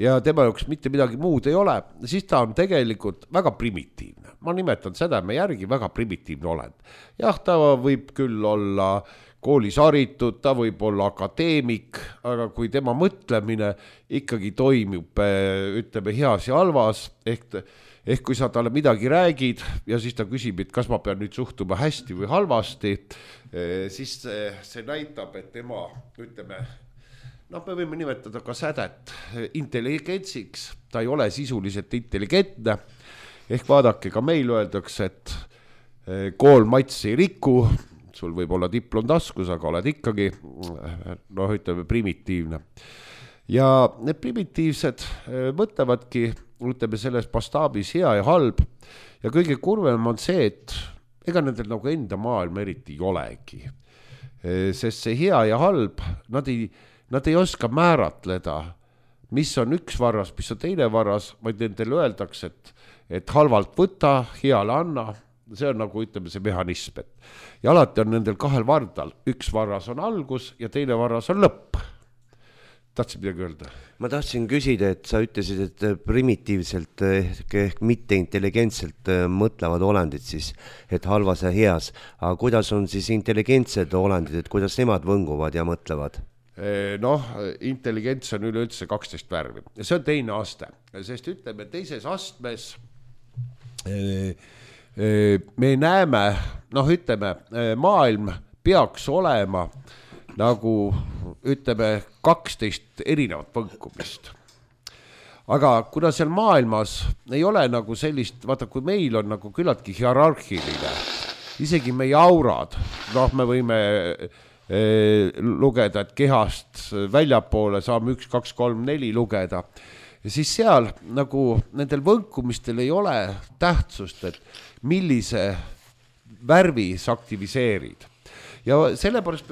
ja tema jaoks mitte midagi muud ei ole, siis ta on tegelikult väga primitiivne. Ma nimetan seda me järgi väga primitiivne olend. Jah, ta võib küll olla koolis haritud, ta võib olla akadeemik, aga kui tema mõtlemine ikkagi toimub, ütleme, heas ja halvas, ehk kui sa talle midagi räägid ja siis ta küsib, et kas ma pean nüüd suhtuma hästi või halvasti, siis see näitab, et tema, ütleme, me võime nimetada ka sädet intelligentsiks, ta ei ole sisuliselt intelligentne, ehk vaadake, ka meil öeldakse, et kool mats ei riku, sul võib olla diplom taskus, aga oled ikkagi, ütleme, primitiivne. Ja need primitiivsed mõtlevadki, ütleme, selles mastaabis hea ja halb ja kõige kurvem on see, et ega nendel nagu enda maailm eriti ei olegi. Sest see hea ja halb, nad ei oska määratleda, mis on üks varras, mis on teine varras, vaid nendel öeldakse, et halvalt võta, heale anna, see on nagu, ütleme, see mehhanism. Ja alati on nendel 2 vardal, üks varras on algus ja teine varras on lõpp. Tahtsid midagi öelda? Ma tahtsin küsida, et sa ütlesid, et primitiivselt ehk mitte intelligentselt mõtlevad olendid siis, et halvas ja heas. Aga kuidas on siis intelligentsed olendid, et kuidas nemad võnguvad ja mõtlevad? Intelligents on üleüldse 12 värvi. See on teine aste, sest ütleme, teises astmes me näeme, ütleme, maailm peaks olema nagu, ütleme, 12 erinevat võnkumist. Aga kuna seal maailmas ei ole nagu sellist, vaata, kui meil on nagu küllaltki hierarhiline, isegi meie aurad, me võime lugeda, et kehast väljapoole saame 1, 2, 3, 4 lugeda. Ja siis seal nagu nendel võnkumistel ei ole tähtsust, et millise värvi sa aktiviseerid. Ja sellepärast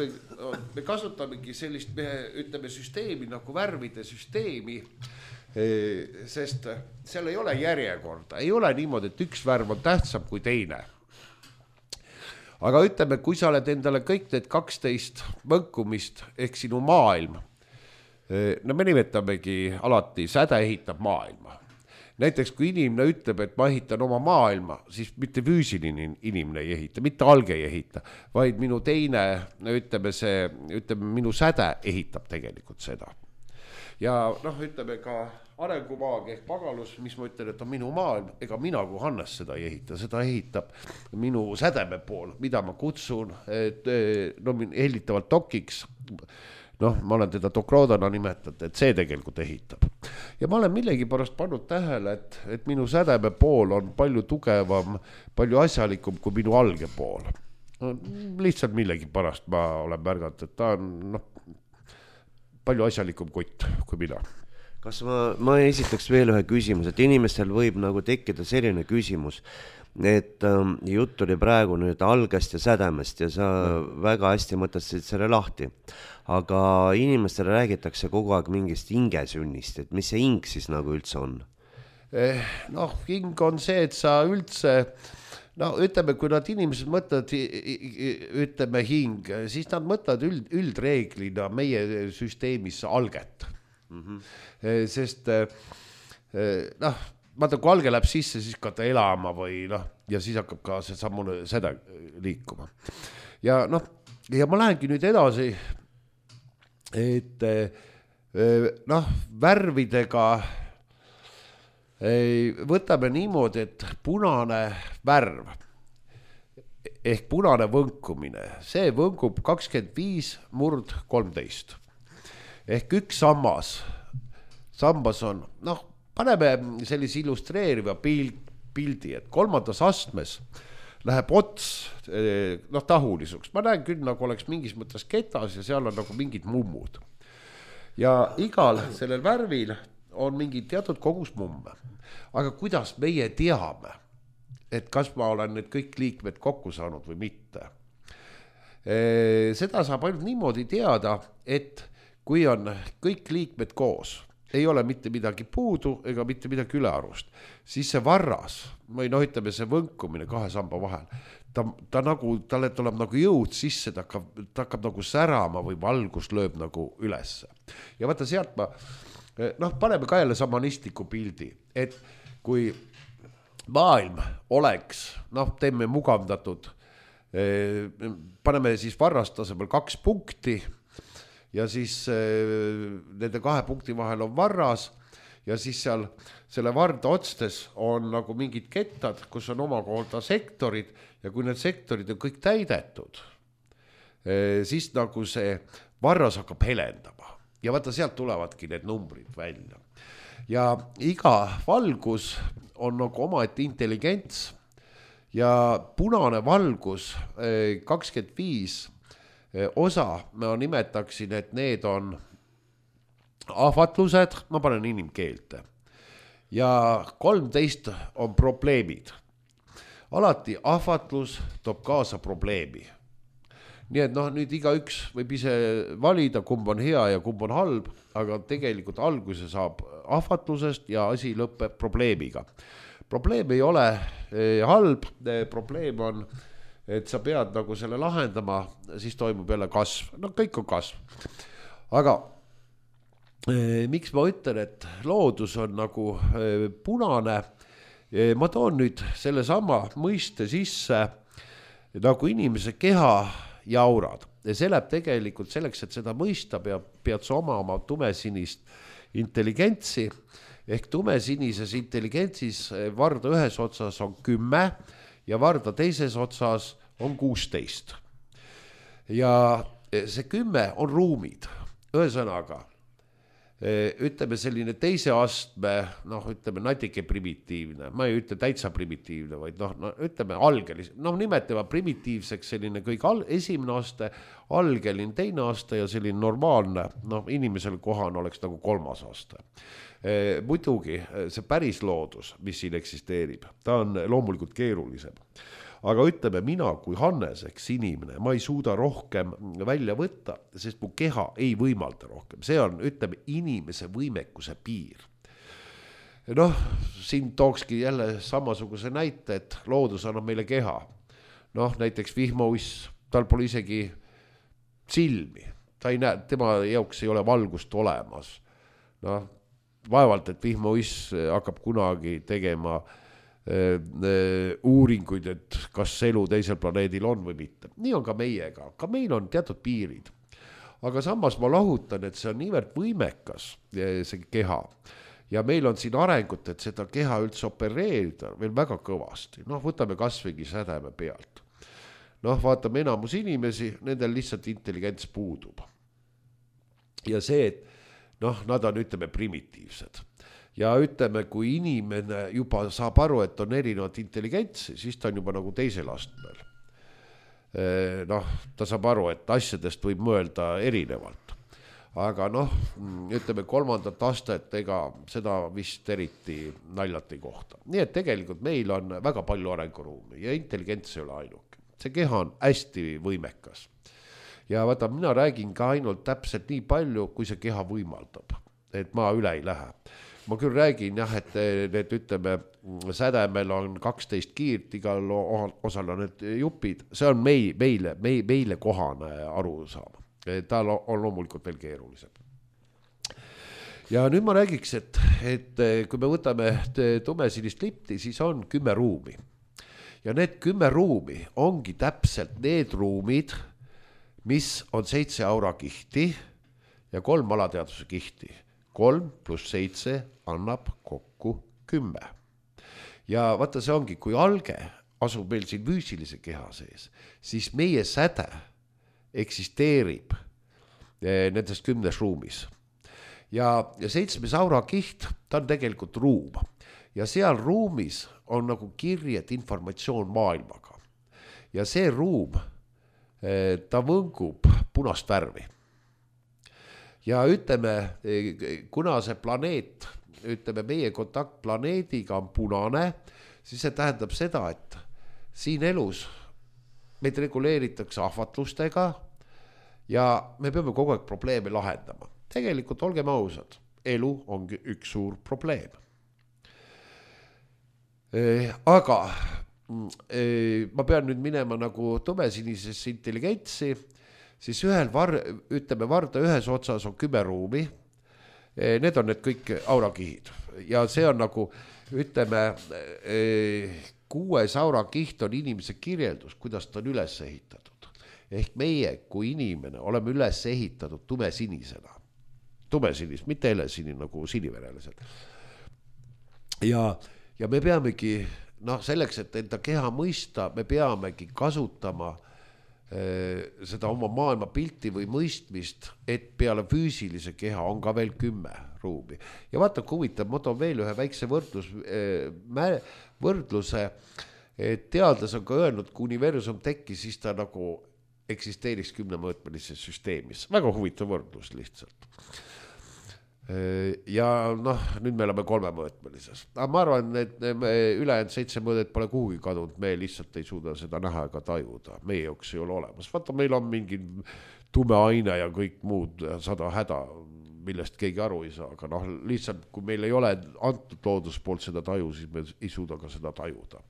me kasutamegi sellist, ütleme, süsteemi nagu värvide süsteemi, sest seal ei ole järjekorda, ei ole niimoodi, et üks värv on tähtsam kui teine. Aga ütleme, kui sa oled endale kõik need 12 võnkumist ehk sinu maailm, me nimetamegi alati, säde ehitab maailma. Näiteks kui inimene ütleb, et ma ehitan oma maailma, siis mitte füüsiline inimene ei ehita, mitte alge ei ehita, vaid minu teine, ütleme, minu säde ehitab tegelikult seda. Ja ütleme ka arengumaag ehk pagalus, mis ma ütlen, et on minu maailm, ega mina kui Hannes seda ei ehita, seda ehitab minu sädeme pool, mida ma kutsun hellitavalt dokiks. Ma olen teda dokroodana nimetanud, et see tegelikult ehitab. ja ma olen millegipärast pannud tähele, et minu sädeme pool on palju tugevam, palju asjalikum kui minu alge pool. No, lihtsalt millegipärast ma olen märganud, et ta on palju asjalikum kutt kui mina. Kas ma esitaks veel ühe küsimus, et inimestel võib nagu tekkida selline küsimus, et jutt oli praegu nüüd algest ja sädemest ja sa väga hästi mõtlesid selle lahti, aga inimestele räägitakse kogu aeg mingist hingesünnist, et mis see hing siis nagu üldse on? Noh, hing on see, et sa üldse, no ütleme, kui nad inimesed mõtlevad, ütleme hing, siis nad mõtlevad üldreeglina meie süsteemis alget. Sest noh, vaata, kui alge läheb sisse, siis ka ta elama või noh, ja siis hakkab ka see sammune seda liikuma. Ja noh, ja ma lähengi nüüd edasi, et noh, värvidega võtame niimoodi, et punane värv ehk punane võnkumine, see võnkub 25/13 ehk üks sambas on, noh, paneme sellise illustreeriva pildi, et kolmandas astmes läheb ots noh, tahulisuks. Ma näen küll, nagu oleks mingis mõttes ketas ja seal on nagu mingid mummud. Ja igal sellel värvil on mingi teatud kogus mumme. Aga kuidas meie teame, et kas ma olen need kõik liikmed kokku saanud või mitte? Seda saab ainult niimoodi teada, et kui on kõik liikmed koos, ei ole mitte midagi puudu ega mitte midagi ülearust, siis see varras, või noh, ütleme see võnkumine kahe samba vahel, ta nagu, talle tuleb nagu jõud sisse, ta hakkab nagu särama või valgus lööb nagu ülesse. Ja vaata sealt ma, noh, paneme ka jälle samanistliku pildi, et kui maailm oleks, noh, teeme mugavdatud, paneme siis varrastasemel 2 punkti, ja siis nende 2 punkti vahel on varras ja siis seal selle varda otstes on nagu mingid kettad, kus on omakorda sektorid ja kui need sektorid on kõik täidetud, siis nagu see varras hakkab helendama ja vaata sealt tulevadki need numbrid välja. Ja iga valgus on nagu omaette intelligents ja punane valgus 25 osa, ma nimetaksin, et need on ahvatlused, ma panen inimkeelte, ja 13 on probleemid. Alati ahvatlus toob kaasa probleemi. Nii et noh, nüüd igaüks võib ise valida, kumb on hea ja kumb on halb, aga tegelikult alguse saab ahvatlusest ja asi lõpeb probleemiga. Probleem ei ole halb, probleem on et sa pead nagu selle lahendama, siis toimub jälle kasv. No kõik on kasv. Aga miks ma ütlen, et loodus on nagu punane, ma toon nüüd selle sama mõiste sisse nagu inimese keha ja aurad. Ja see läheb tegelikult selleks, et seda mõista pead sa oma tumesinist intelligentsi, ehk tumesinises intelligentsis varda ühes otsas on 10 ja varda teises otsas on 16. Ja see 10 on ruumid. Ühesõnaga, ütleme selline teise astme, noh, ütleme natuke primitiivne, ma ei ütle täitsa primitiivne, vaid noh, ütleme algelis, noh, nimetame primitiivseks selline kõik esimene aste, algelin teine aste ja selline normaalne, noh, inimesel kohane oleks nagu 3. aste. Muidugi see päris loodus, mis siin eksisteerib, ta on loomulikult keerulisem. Aga ütleme, mina kui Hannes, eks inimene, ma ei suuda rohkem välja võtta, sest mu keha ei võimalda rohkem. See on, ütleme, inimese võimekuse piir. Noh, siin tookski jälle samasuguse näite, et loodus annab meile keha. Noh, näiteks vihmauiss, tal pole isegi silmi. Ta ei näe, tema jaoks ei ole valgust olemas. Noh, vaevalt, et vihmauiss hakkab kunagi tegema uuringuid, et kas elu teisel planeedil on või mitte. Nii on ka meiega, ka meil on teatud piirid. Aga samas ma lahutan, et see on niivõrd võimekas, see keha. Ja meil on siin arengut, et seda keha üldse opereerida veel väga kõvasti. Noh, võtame kasvõigi sädeme pealt. Noh, vaatame enamus inimesi, nendel lihtsalt intelligents puudub. Ja see, et noh, nad on, ütleme, primitiivsed. Ja ütleme, kui inimene juba saab aru, et on erinevat intelligentsi, siis ta on juba nagu teisel astmel. Noh, ta saab aru, et asjadest võib mõelda erinevalt. Aga noh, ütleme 3. astet, ega seda vist eriti naljalt ei kohta. Nii et tegelikult meil on väga palju arenguruumi ja intelligents ei ole ainuke. See keha on hästi võimekas. Ja vaata, mina räägin ka ainult täpselt nii palju, kui see keha võimaldab. Et ma üle ei lähe. Ma küll räägin jah, et need, ütleme, sädemel on 12 kiirt, igal osal on need jupid. See on meile kohane aru saama. Ta on loomulikult veel keerulisem. Ja nüüd ma räägiks, et kui me võtame tumesinist lipti, siis on 10 ruumi. Ja need 10 ruumi ongi täpselt need ruumid, mis on 7 aurakihti ja 3 alateadvuse kihti. 3 + 7 annab kokku 10. Ja vaata, see ongi, kui alge asub meil siin füüsilise keha sees, siis meie säde eksisteerib nendest 10 ruumis. Ja 7. aurakiht, ta on tegelikult ruum. Ja seal ruumis on nagu kirjed informatsioon maailmaga. Ja see ruum, ta võngub punast värvi. Ja ütleme, kuna see planeet, ütleme, meie kontakt planeediga on punane, siis see tähendab seda, et siin elus meid reguleeritakse ahvatlustega ja me peame kogu aeg probleeme lahendama. Tegelikult olgem ausad, elu ongi üks suur probleem. Aga ma pean nüüd minema nagu tumesinisesse intelligentsi, siis ütleme, varda ühes otsas on 10 ruumi. Need on need kõik aurakihid. Ja see on nagu, ütleme, 6 aurakiht on inimese kirjeldus, kuidas ta on üles ehitatud. Ehk meie kui inimene oleme üles ehitatud tumesinisena. Tumesinis, mitte helesini nagu siniverelised. Ja me peamegi, selleks, et enda keha mõista, me peamegi kasutama seda oma maailma pilti või mõistmist, et peale füüsilise keha on ka veel 10 ruumi. Ja vaata, kui huvitav, ma toon veel ühe väikse võrdluse, et teadlas on ka öelnud, kui universum tekkis, siis ta nagu eksisteeriks 10-mõõtmelises süsteemis. Väga huvitav võrdlus lihtsalt. Ja nüüd me oleme 3-mõõtmelises. Aga ma arvan, et ülejäänud 7 mõõdet pole kuhugi kadunud, me lihtsalt ei suuda seda näha ega tajuda. Meie jaoks ei ole olemas. Vaata, meil on mingi tume aine ja kõik muud 100 häda, millest keegi aru ei saa. Aga lihtsalt, kui meil ei ole antud loodus poolt seda taju, siis me ei suuda ka seda tajuda.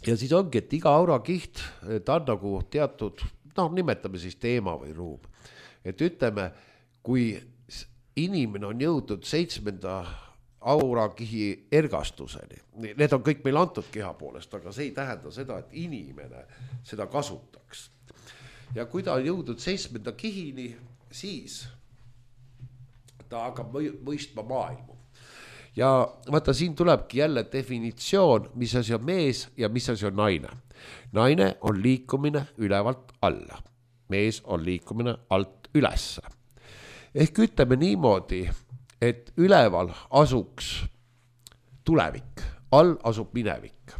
Ja siis ongi, et iga aurakiht, ta on nagu teatud, nimetame siis teema või ruum. Et ütleme, kui inimene on jõudnud 7. aurakihi ergastuseni. Need on kõik meil antud keha poolest, aga see ei tähenda seda, et inimene seda kasutaks. Ja kui ta on jõudnud 7. kihini, siis ta hakkab mõistma maailmu. Ja vaata, siin tulebki jälle definitsioon, mis asi on mees ja mis asi on naine. Naine on liikumine ülevalt alla. Mees on liikumine alt ülesse. Ehk ütleme niimoodi, et üleval asuks tulevik, all asub minevik.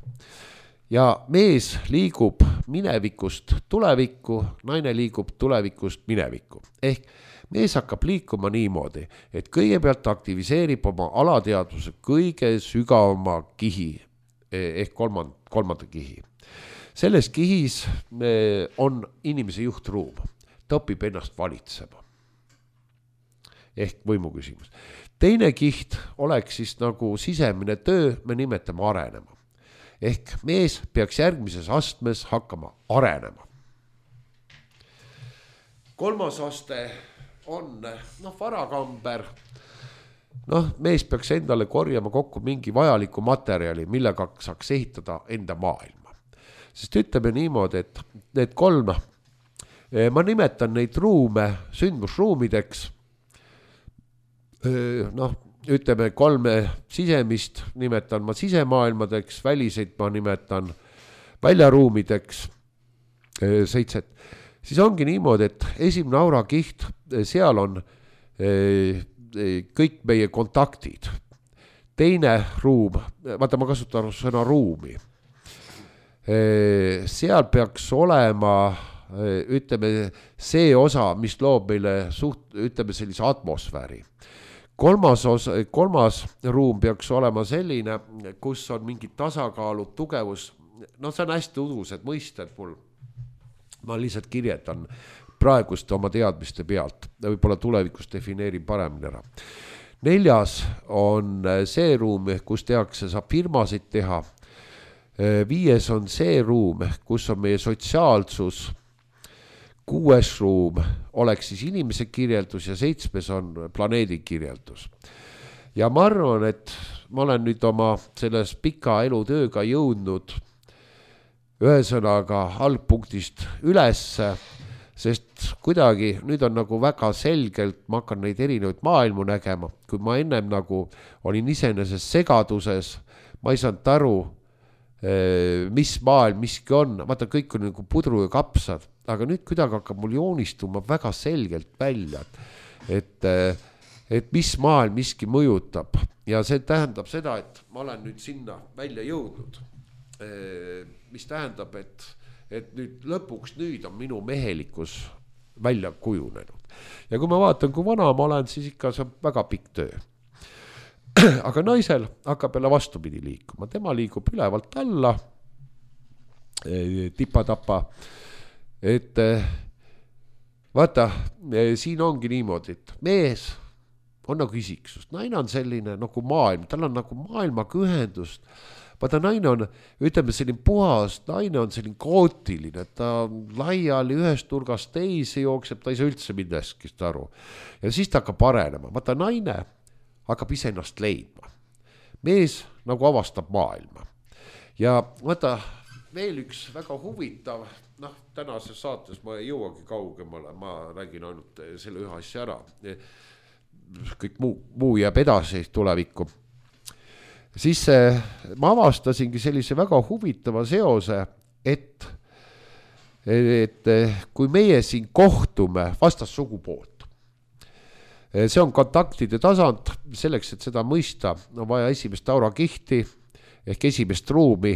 Ja mees liigub minevikust tulevikku, naine liigub tulevikust minevikku. Ehk mees hakkab liikuma niimoodi, et kõigepealt aktiviseerib oma alateadvuse kõige sügavama kihi, ehk kolmanda kihi. Selles kihis on inimese juhtruum, ta õpib ennast valitsema. Ehk võimu küsimus. Teine kiht oleks siis nagu sisemine töö, me nimetame arenema. Ehk mees peaks järgmises astmes hakkama arenema. 3. aste on varakamber. Mees peaks endale korjama kokku mingi vajaliku materjali, millega saaks ehitada enda maailma. Sest ütleme niimoodi, et need 3, ma nimetan neid ruume sündmusruumideks. Ütleme 3 sisemist nimetan ma sisemaailmadeks, väliseid ma nimetan väljaruumideks, 7. Siis ongi niimoodi, et esimene aurakiht, seal on kõik meie kontaktid. Teine ruum, vaata ma kasutan sõna ruumi, seal peaks olema, ütleme, see osa, mis loob meile ütleme sellise atmosfääri. Kolmas ruum peaks olema selline, kus on mingid tasakaalud, tugevus, no see on hästi udused mõisted mul. Ma lihtsalt kirjetan praegust oma teadmiste pealt, võib-olla tulevikus defineerin paremini ära. 4. on see ruum, kus tehakse, saab firmasid teha. 5. on see ruum, kus on meie sotsiaalsus. 6. ruum oleks siis inimese kirjeldus ja 7. on planeedi kirjeldus. Ja ma arvan, et ma olen nüüd oma selles pika elutööga jõudnud ühesõnaga algpunktist ülesse, sest kuidagi nüüd on nagu väga selgelt, ma hakkan neid erinevaid maailmu nägema, kui ma ennem nagu olin iseenesest segaduses, ma ei saanud aru, mis maailm miski on, vaata kõik on nagu pudru ja kapsad, aga nüüd kuidagi hakkab mul joonistuma väga selgelt välja, et mis maailm miski mõjutab ja see tähendab seda, et ma olen nüüd sinna välja jõudnud, mis tähendab, et nüüd lõpuks nüüd on minu mehelikkus välja kujunenud ja kui ma vaatan, kui vana ma olen, siis ikka see on väga pikk töö. Aga naisel hakkab jälle vastupidi liikuma, tema liigub ülevalt alla, tipa-tapa, et vaata, siin ongi niimoodi, et mees on nagu isiksus, naine on selline nagu maailm, tal on nagu maailmaga ühendust, vaata naine on, ütleme selline puhas, naine on selline kaootiline, ta laiali ühest nurgast teisi jookseb, ta ei saa üldse millestki aru ja siis ta hakkab arenema, vaata naine hakkab ise ennast leidma. Mees nagu avastab maailma. Ja vaata, veel üks väga huvitav, tänases saates ma ei jõuagi kaugemale, ma räägin ainult selle ühe asja ära. Kõik muu jääb edasi tulevikku. Siis ma avastasingi sellise väga huvitava seose, et kui meie siin kohtume vastassugupool, see on kontaktide tasand, selleks, et seda mõista, on vaja esimest aurakihti ehk esimest ruumi.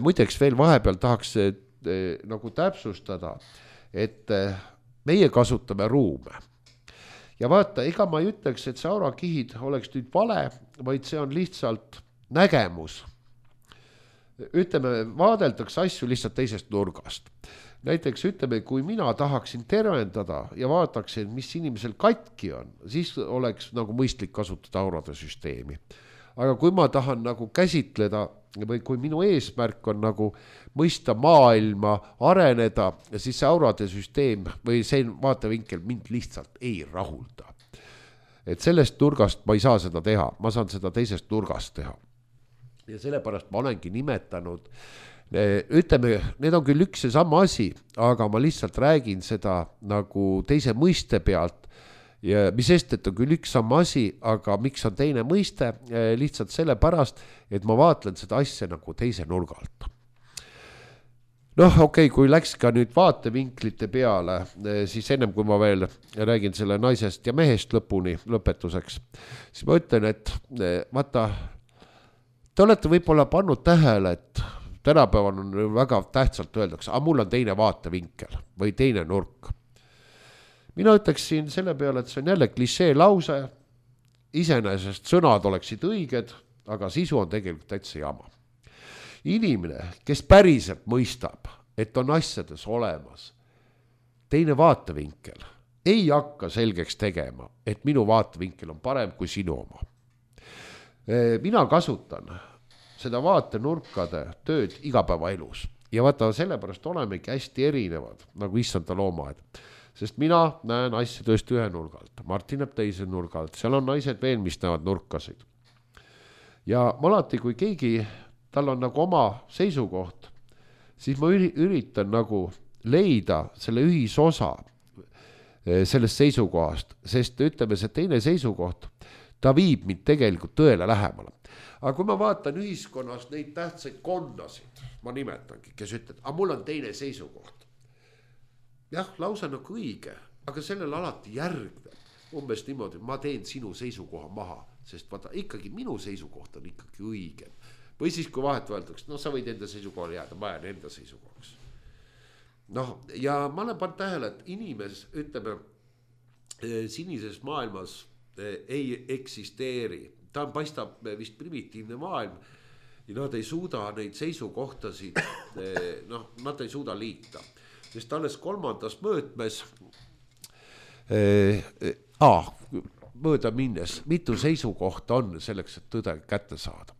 Muideks veel vahepeal tahaks nagu täpsustada, et meie kasutame ruume. Ja vaata, ega ma ei ütleks, et see aurakihid oleks nüüd vale, vaid see on lihtsalt nägemus. Ütleme, vaadeldakse asju lihtsalt teisest nurgast. Näiteks ütleme, kui mina tahaksin tervendada ja vaataksin, mis inimesel katki on, siis oleks nagu mõistlik kasutada aurade süsteemi. Aga kui ma tahan nagu käsitleda või kui minu eesmärk on nagu mõista maailma, areneda, siis see aurade süsteem või see vaatevinkel mind lihtsalt ei rahulda. Et sellest nurgast ma ei saa seda teha, ma saan seda teisest nurgast teha. Ja sellepärast ma olengi nimetanud, ütleme, need on küll üks ja sama asi, aga ma lihtsalt räägin seda nagu teise mõiste pealt ja mis sest, et on küll üks sama asi, aga miks on teine mõiste, lihtsalt sellepärast, et ma vaatlen seda asja nagu teise nurga alt. Okei, kui läks ka nüüd vaatevinklite peale, siis ennem kui ma veel räägin selle naisest ja mehest lõpetuseks, siis ma ütlen, et vaata, te olete võib-olla pannud tähele, et tänapäeval on väga tähtsalt öeldakse, aga mul on teine vaatevinkel või teine nurk. Mina ütleksin selle peale, et see on jälle klišee lause, iseenesest sõnad oleksid õiged, aga sisu on tegelikult täitsa jama. Inimene, kes päriselt mõistab, et on asjades olemas teine vaatevinkel, ei hakka selgeks tegema, et minu vaatevinkel on parem kui sinu oma. Mina kasutan seda vaatenurkade tööd igapäevaelus. Ja vaata, sellepärast olemegi hästi erinevad, nagu issanda loomaaed. Sest mina näen asja tõesti ühe nurgalt, Martin näeb teise nurgalt, seal on naised veel, mis näevad nurkasid. Ja alati, kui keegi, tal on nagu oma seisukoht, siis ma üritan nagu leida selle ühisosa sellest seisukohast, sest ütleme, see teine seisukoht, ta viib mind tegelikult tõele lähemale. Aga kui ma vaatan ühiskonnas neid tähtsaid kondasid, ma nimetangi, kes ütled, aga mul on teine seisukoht. Jah, lausa nagu õige, aga sellel alati järgneb. umbes niimoodi, ma teen sinu seisukoha maha, sest vaata ikkagi minu seisukoht on ikkagi õigem. Või siis kui vahet võeldakse, no sa võid enda seisukohale jääda, ma jään enda seisukohaks. Noh, ja ma olen pannud tähele, et inimes, ütleme, sinises maailmas ei eksisteeri. Ta paistab vist primitiivne maailm ja nad ei suuda neid seisukohtasid, noh, nad ei suuda liita. Sest alles 3. mõõtmes mööda minnes, mitu seisukohta on selleks, et tõde kätte saada.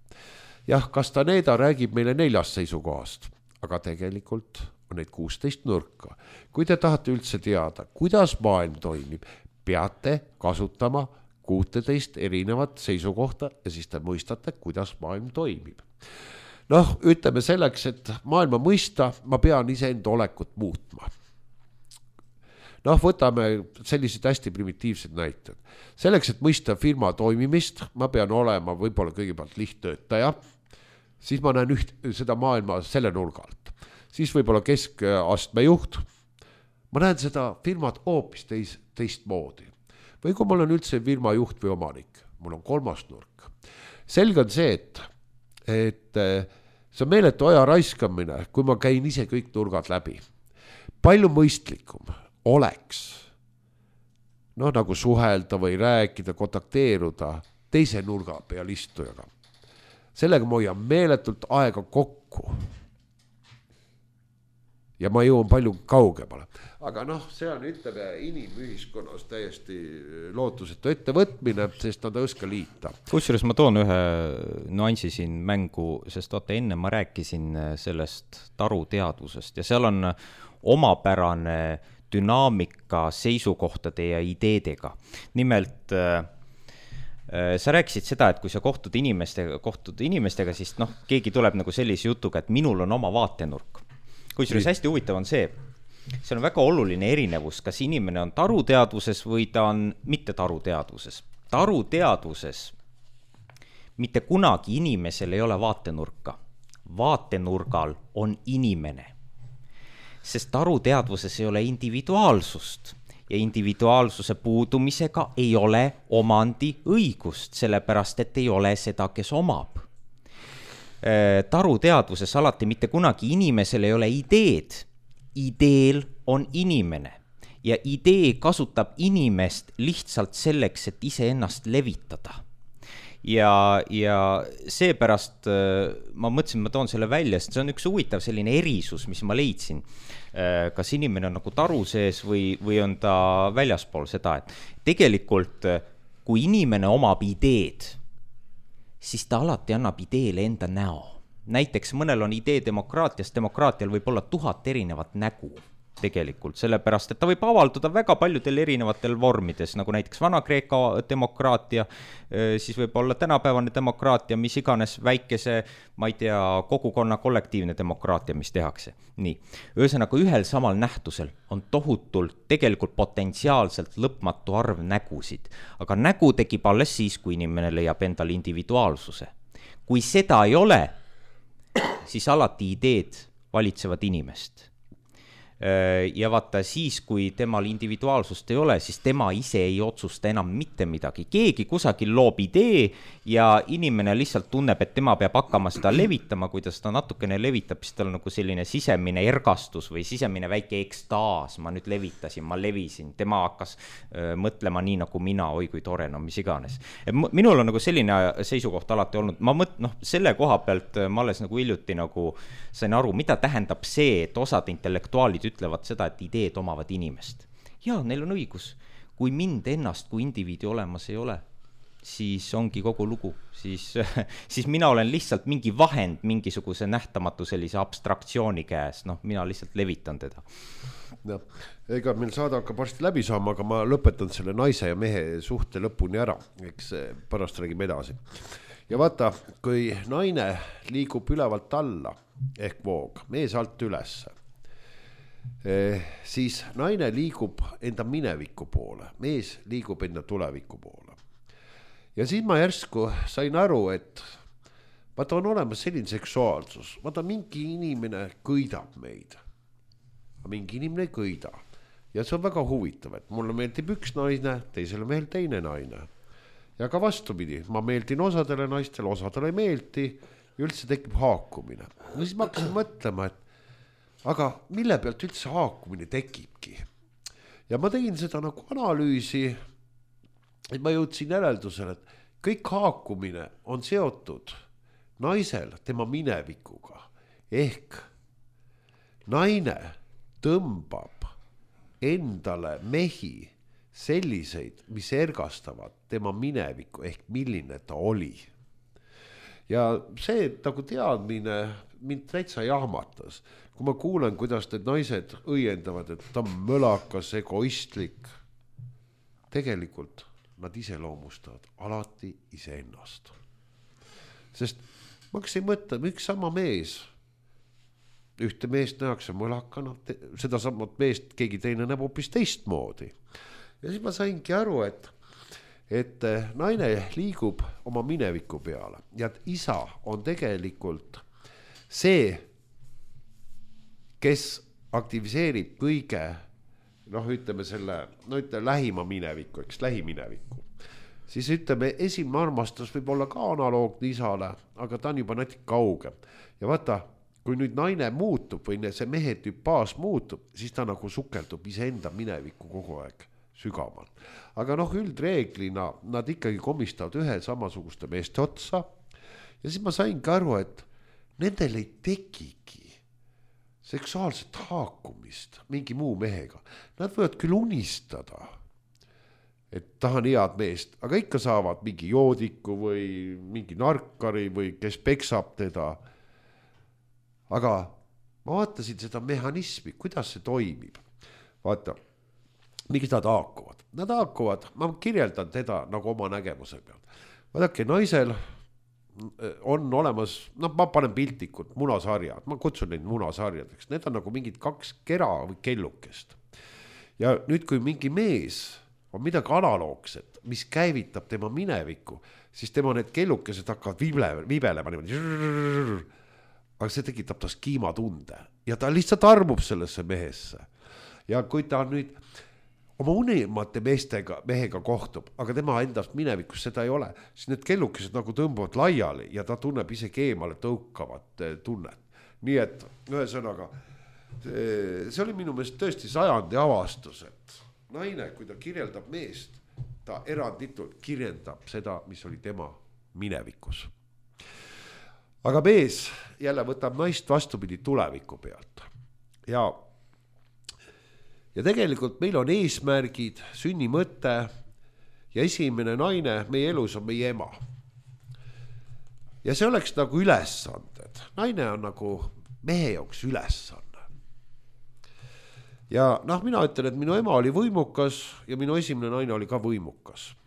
Jah, Castaneda räägib meile 4 seisukohast, aga tegelikult on neid 16 nurka. Kui te tahate üldse teada, kuidas maailm toimib, peate kasutama 16 erinevat seisukohta ja siis te mõistate, kuidas maailm toimib. Noh, ütleme selleks, et maailma mõista, ma pean iseenda olekut muutma. Noh, võtame sellised hästi primitiivsed näited. Selleks, et mõista firma toimimist, ma pean olema võib-olla kõigepealt lihttöötaja, siis ma näen seda maailma selle nurgalt. Siis võib-olla keskastme juht, ma näen seda firmat hoopis teistmoodi. Või kui mul on üldse firma juht või omanik, mul on 3. nurk. Selge on see, et see on meeletu aja raiskamine, kui ma käin ise kõik nurgad läbi. Palju mõistlikum oleks, noh, nagu suhelda või rääkida, kontakteeruda teise nurga peal istujaga. Sellega ma hoian meeletult aega kokku. Ja ma jõuan palju kaugemale. Aga noh, see on, ütleme, inimühiskonnas täiesti lootusetu ettevõtmine, sest nad ei oska liita. Kusjuures ma toon ühe nuansi siin mängu, sest vaata, enne ma rääkisin sellest taruteadvusest ja seal on omapärane dünaamika seisukohtade ja ideedega. Nimelt sa rääkisid seda, et kui sa kohtud inimestega, siis noh, keegi tuleb nagu sellise jutuga, et minul on oma vaatenurk. Kusjuures hästi huvitav on see on väga oluline erinevus, kas inimene on taruteadvuses või ta on mitte taruteadvuses. Taruteadvuses mitte kunagi inimesel ei ole vaatenurka. Vaatenurgal on inimene. Sest taruteadvuses ei ole individuaalsust ja individuaalsuse puudumisega ei ole omandi õigust, sellepärast et ei ole seda, kes omab. Taruteadvuses alati mitte kunagi inimesel ei ole ideed. Ideel on inimene ja idee kasutab inimest lihtsalt selleks, et iseennast levitada. Ja seepärast ma mõtlesin, ma toon selle välja, sest see on üks huvitav selline erisus, mis ma leidsin. Kas inimene on nagu taru sees või on ta väljaspool seda, et tegelikult kui inimene omab ideed, siis ta alati annab ideele enda näo. Näiteks mõnel on idee demokraatiast, demokraatial võib olla 1000 erinevat nägu tegelikult, sellepärast, et ta võib avalduda väga paljudel erinevatel vormides, nagu näiteks Vana-Kreeka demokraatia, siis võib olla tänapäevane demokraatia, mis iganes väikese, ma ei tea, kogukonna kollektiivne demokraatia, mis tehakse. Nii, ühesõnaga ühel samal nähtusel on tohutult, tegelikult potentsiaalselt lõpmatu arv nägusid, aga nägu tekib alles siis, kui inimene leiab endal individuaalsuse. Kui seda ei ole, siis alati ideed valitsevad inimest. Ja vaata siis, kui temal individuaalsust ei ole, siis tema ise ei otsusta enam mitte midagi. Keegi kusagil loob idee ja inimene lihtsalt tunneb, et tema peab hakkama seda levitama, kui ta seda natukene levitab, siis tal on nagu selline sisemine ergastus või sisemine väike ekstaas. Ma nüüd levitasin, ma levisin, tema hakkas mõtlema nii nagu mina, oi kui tore, no mis iganes. Minul on nagu selline seisukoht alati olnud, selle koha pealt ma alles nagu hiljuti nagu sain aru, mida tähendab see, et osad intellektuaalid ütlevad seda, et ideed omavad inimest. Ja, neil on õigus. Kui mind ennast kui indiviidi olemas ei ole, siis ongi kogu lugu. Siis mina olen lihtsalt mingi vahend mingisuguse nähtamatu sellise abstraktsiooni käes. Noh, mina lihtsalt levitan teda. No, ega meil saada hakkab varsti läbi saama, aga ma lõpetan selle naise ja mehe suhte lõpuni ära. Eks pärast räägime edasi. Ja vaata, kui naine liigub ülevalt alla ehk voog, mees alt ülesse, siis naine liigub enda mineviku poole, mees liigub enda tuleviku poole. Ja siis ma järsku sain aru, et vaata on olemas selline seksuaalsus, vaata mingi inimene kõidab meid, mingi inimene ei kõida. ja see on väga huvitav, et mulle meeldib üks naine, teisele mehel teine naine. Ja ka vastupidi, ma meeldin osadele naistele, osadele ei meeldi, üldse tekib haakumine. No siis ma hakkasin mõtlema, et aga mille pealt üldse haakumine tekibki. Ja ma tegin seda nagu analüüsi, et ma jõudsin järeldusele, et kõik haakumine on seotud naisel tema minevikuga. Ehk naine tõmbab endale mehi selliseid, mis ergastavad tema minevikku ehk milline ta oli. Ja see nagu teadmine mind täitsa jahmatas, kui ma kuulen, kuidas need naised õiendavad, et ta on mölakas, egoistlik. Tegelikult nad iseloomustavad alati iseennast. Sest ma hakkasin mõtlema, üks sama mees, ühte meest nähakse mõlakana, seda samat meest keegi teine näeb hoopis teistmoodi. Ja siis ma saingi aru, et naine liigub oma mineviku peale ja et isa on tegelikult see, kes aktiviseerib kõige, ütleme selle, ütleme lähima mineviku, eks lähimineviku. Siis ütleme, esimene armastus võib olla ka analoogne isale, aga ta on juba natuke kaugem. Ja vaata, kui nüüd naine muutub või see mehe tüpaas muutub, siis ta nagu sukeldub iseenda minevikku kogu aeg sügaval. Aga üldreeglina nad ikkagi komistavad ühe samasuguste meeste otsa. Ja siis ma saingi aru, et nendel ei tekigi seksuaalset haakumist mingi muu mehega. Nad võivad küll unistada, et tahan head meest, aga ikka saavad mingi joodiku või mingi narkari või kes peksab teda. Aga ma vaatasin seda mehhanismi, kuidas see toimib. Vaata, miks nad haakuvad? Nad haakuvad, ma kirjeldan teda nagu oma nägemuse pealt. Vaadake, naisel on olemas, ma panen piltlikult munasarjad, ma kutsun neid munasarjadeks, need on nagu mingid 2 kera või kellukest. Ja nüüd, kui mingi mees on midagi analoogset, mis käivitab tema minevikku, siis tema need kellukesed hakkavad vibelema niimoodi. Aga see tekitab tas kiimatunde ja ta lihtsalt armub sellesse mehesse. Ja kui ta nüüd oma unimate mehega kohtub, aga tema endast minevikus seda ei ole, siis need kellukesed nagu tõmbuvad laiali ja ta tunneb isegi eemale tõukavat tunnet. Nii et ühesõnaga, see oli minu meelest tõesti sajandi avastus, et naine, kui ta kirjeldab meest, ta eranditult kirjeldab seda, mis oli tema minevikus. Aga mees jälle võtab naist vastupidi tuleviku pealt. Ja tegelikult meil on eesmärgid, sünnimõte ja esimene naine meie elus on meie ema. Ja see oleks nagu ülesanded. Naine on nagu mehe jaoks ülesanne. Ja mina ütlen, et minu ema oli võimukas ja minu esimene naine oli ka võimukas.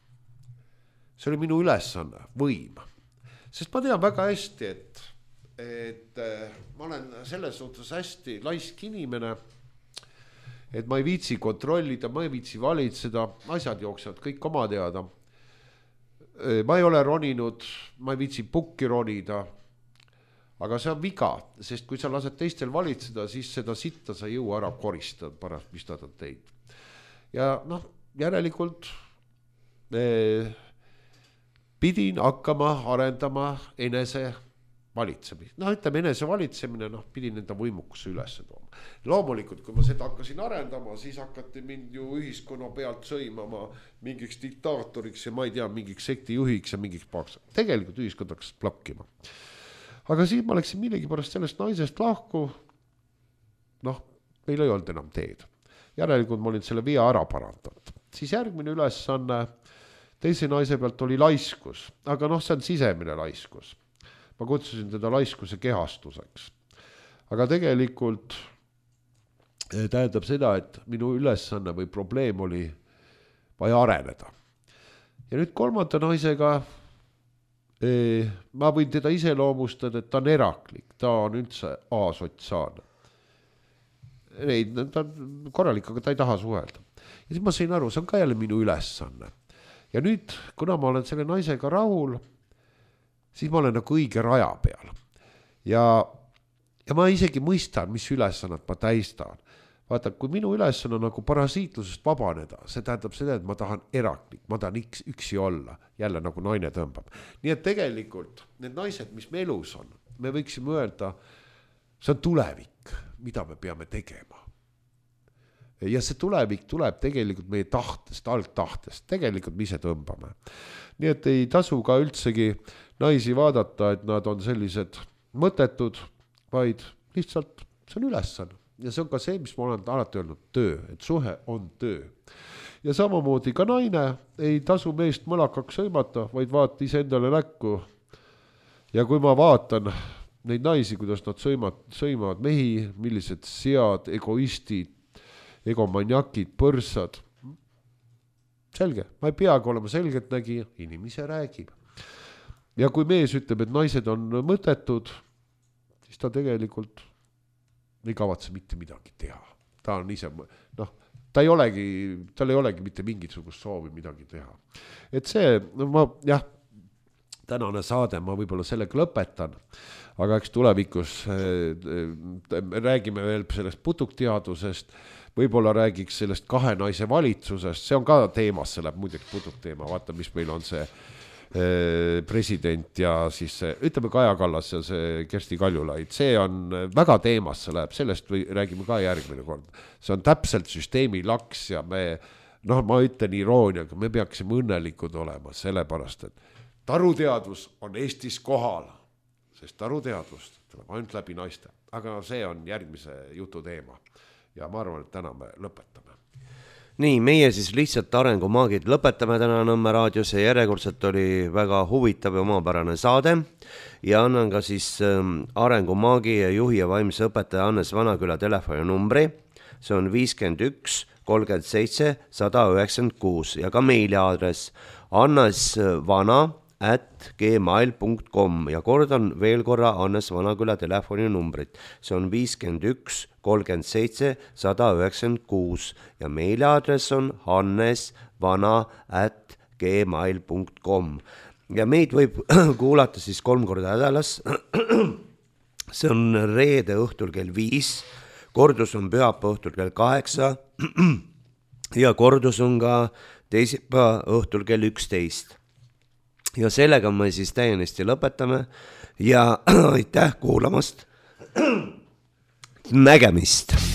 See oli minu ülesanne, võim. Sest ma tean väga hästi, et ma olen selles suhtes hästi laisk inimene, et ma ei viitsi kontrollida, ma ei viitsi valitseda, asjad jooksevad kõik oma teada. Ma ei ole roninud, ma ei viitsi pukki ronida, aga see on viga, sest kui sa lased teistel valitseda, siis seda sitta sa jõua ära koristada pärast, mis nad on teid. Ja järelikult pidin hakkama arendama enese valitsemist. Ütleme enese valitsemine, pidin enda võimukuse üles tooma. Loomulikult, kui ma seda hakkasin arendama, siis hakati mind ju ühiskonna pealt sõimama mingiks diktaatoriks ja ma ei tea, mingiks sektijuhiks ja mingiks paks. Tegelikult ühiskond hakkas plakkima. Aga siis ma läksin millegipärast sellest naisest lahku. Meil ei olnud enam teed. Järelikult ma olin selle via ära parandanud. Siis järgmine ülesanne teise naise pealt oli laiskus, aga see on sisemine laiskus. Ma kutsusin teda laiskuse kehastuseks. Aga tegelikult tähendab seda, et minu ülesanne või probleem oli vaja areneda. Ja nüüd kolmanda naisega ma võin teda iseloomustada, et ta on eraklik, ta on üldse asotsiaalne. Ta on korralik, aga ta ei taha suhelda. Ja siis ma sain aru, see on ka jälle minu ülesanne. Ja nüüd, kuna ma olen selle naisega rahul, siis ma olen nagu õige raja peal. Ja ma isegi mõistan, mis ülesannat ma täistan. vaata, kui minu ülesanne on nagu parasiitlusest vabaneda, see tähendab seda, et ma tahan eraklik, ma tahan üksi olla, jälle nagu naine tõmbab. Nii et tegelikult need naised, mis me elus on, me võiksime öelda, see on tulevik, mida me peame tegema. Ja see tulevik tuleb tegelikult meie tahtest, algtahtest, tegelikult me ise tõmbame. Nii et ei tasu ka üldsegi naisi vaadata, et nad on sellised mõttetud, vaid lihtsalt see on ülesanne. Ja see on ka see, mis ma olen alati öelnud, töö, et suhe on töö. Ja samamoodi ka naine ei tasu meest mõlakaks sõimata, vaid vaata ise endale näkku. Ja kui ma vaatan neid naisi, kuidas nad sõimavad mehi, millised sead, egoistid, egomaniakid, põrsad. Selge, ma ei peagi olema selgeltnägija, inimese räägib. Ja kui mees ütleb, et naised on mõttetud, siis ta tegelikult ei kavatse mitte midagi teha. Ta on ise, tal ei olegi mitte mingisugust soovi midagi teha. Et see, tänane saade ma võib-olla sellega lõpetan, aga eks tulevikus räägime veel sellest putukteadusest, võib-olla räägiks sellest 2 naise valitsusest, see on ka teemas, see läheb muideks putukteema, vaata, mis meil on see president ja siis see, ütleme Kaja Kallas ja see Kersti Kaljulaid, see on väga teemas, see läheb, sellest räägime ka järgmine kord. See on täpselt süsteemi laks ja ma ütlen irooniaga, me peaksime õnnelikud olema, sellepärast, et taruteadus on Eestis kohal, sest taruteadust tuleb ainult läbi naiste, aga see on järgmise jutu teema. Ja ma arvan, et täna me lõpetame. Nii, meie siis lihtsalt arengumaagid lõpetame täna Nõmme raadios ja järjekordselt oli väga huvitav ja omapärane saade ja annan ka siis arengumaagi ja juhi ja vaimse õpetaja Hannes Vanaküla telefoninumbri. See on 51 37 196 ja ka meiliaadress annesvana@gmail.com ja kordan veel korra Hannes Vanaküla telefoninumbrit. See on 51 37 196 ja meiliaadress on hannesvana@gmail.com ja meid võib kuulata siis 3 korda nädalas. See on reede õhtul kell 5, kordus on pühapäeva õhtul kell 8 ja kordus on ka teisipäeva õhtul kell 11. Ja sellega me siis täiesti lõpetame ja aitäh kuulamast. Nägemist!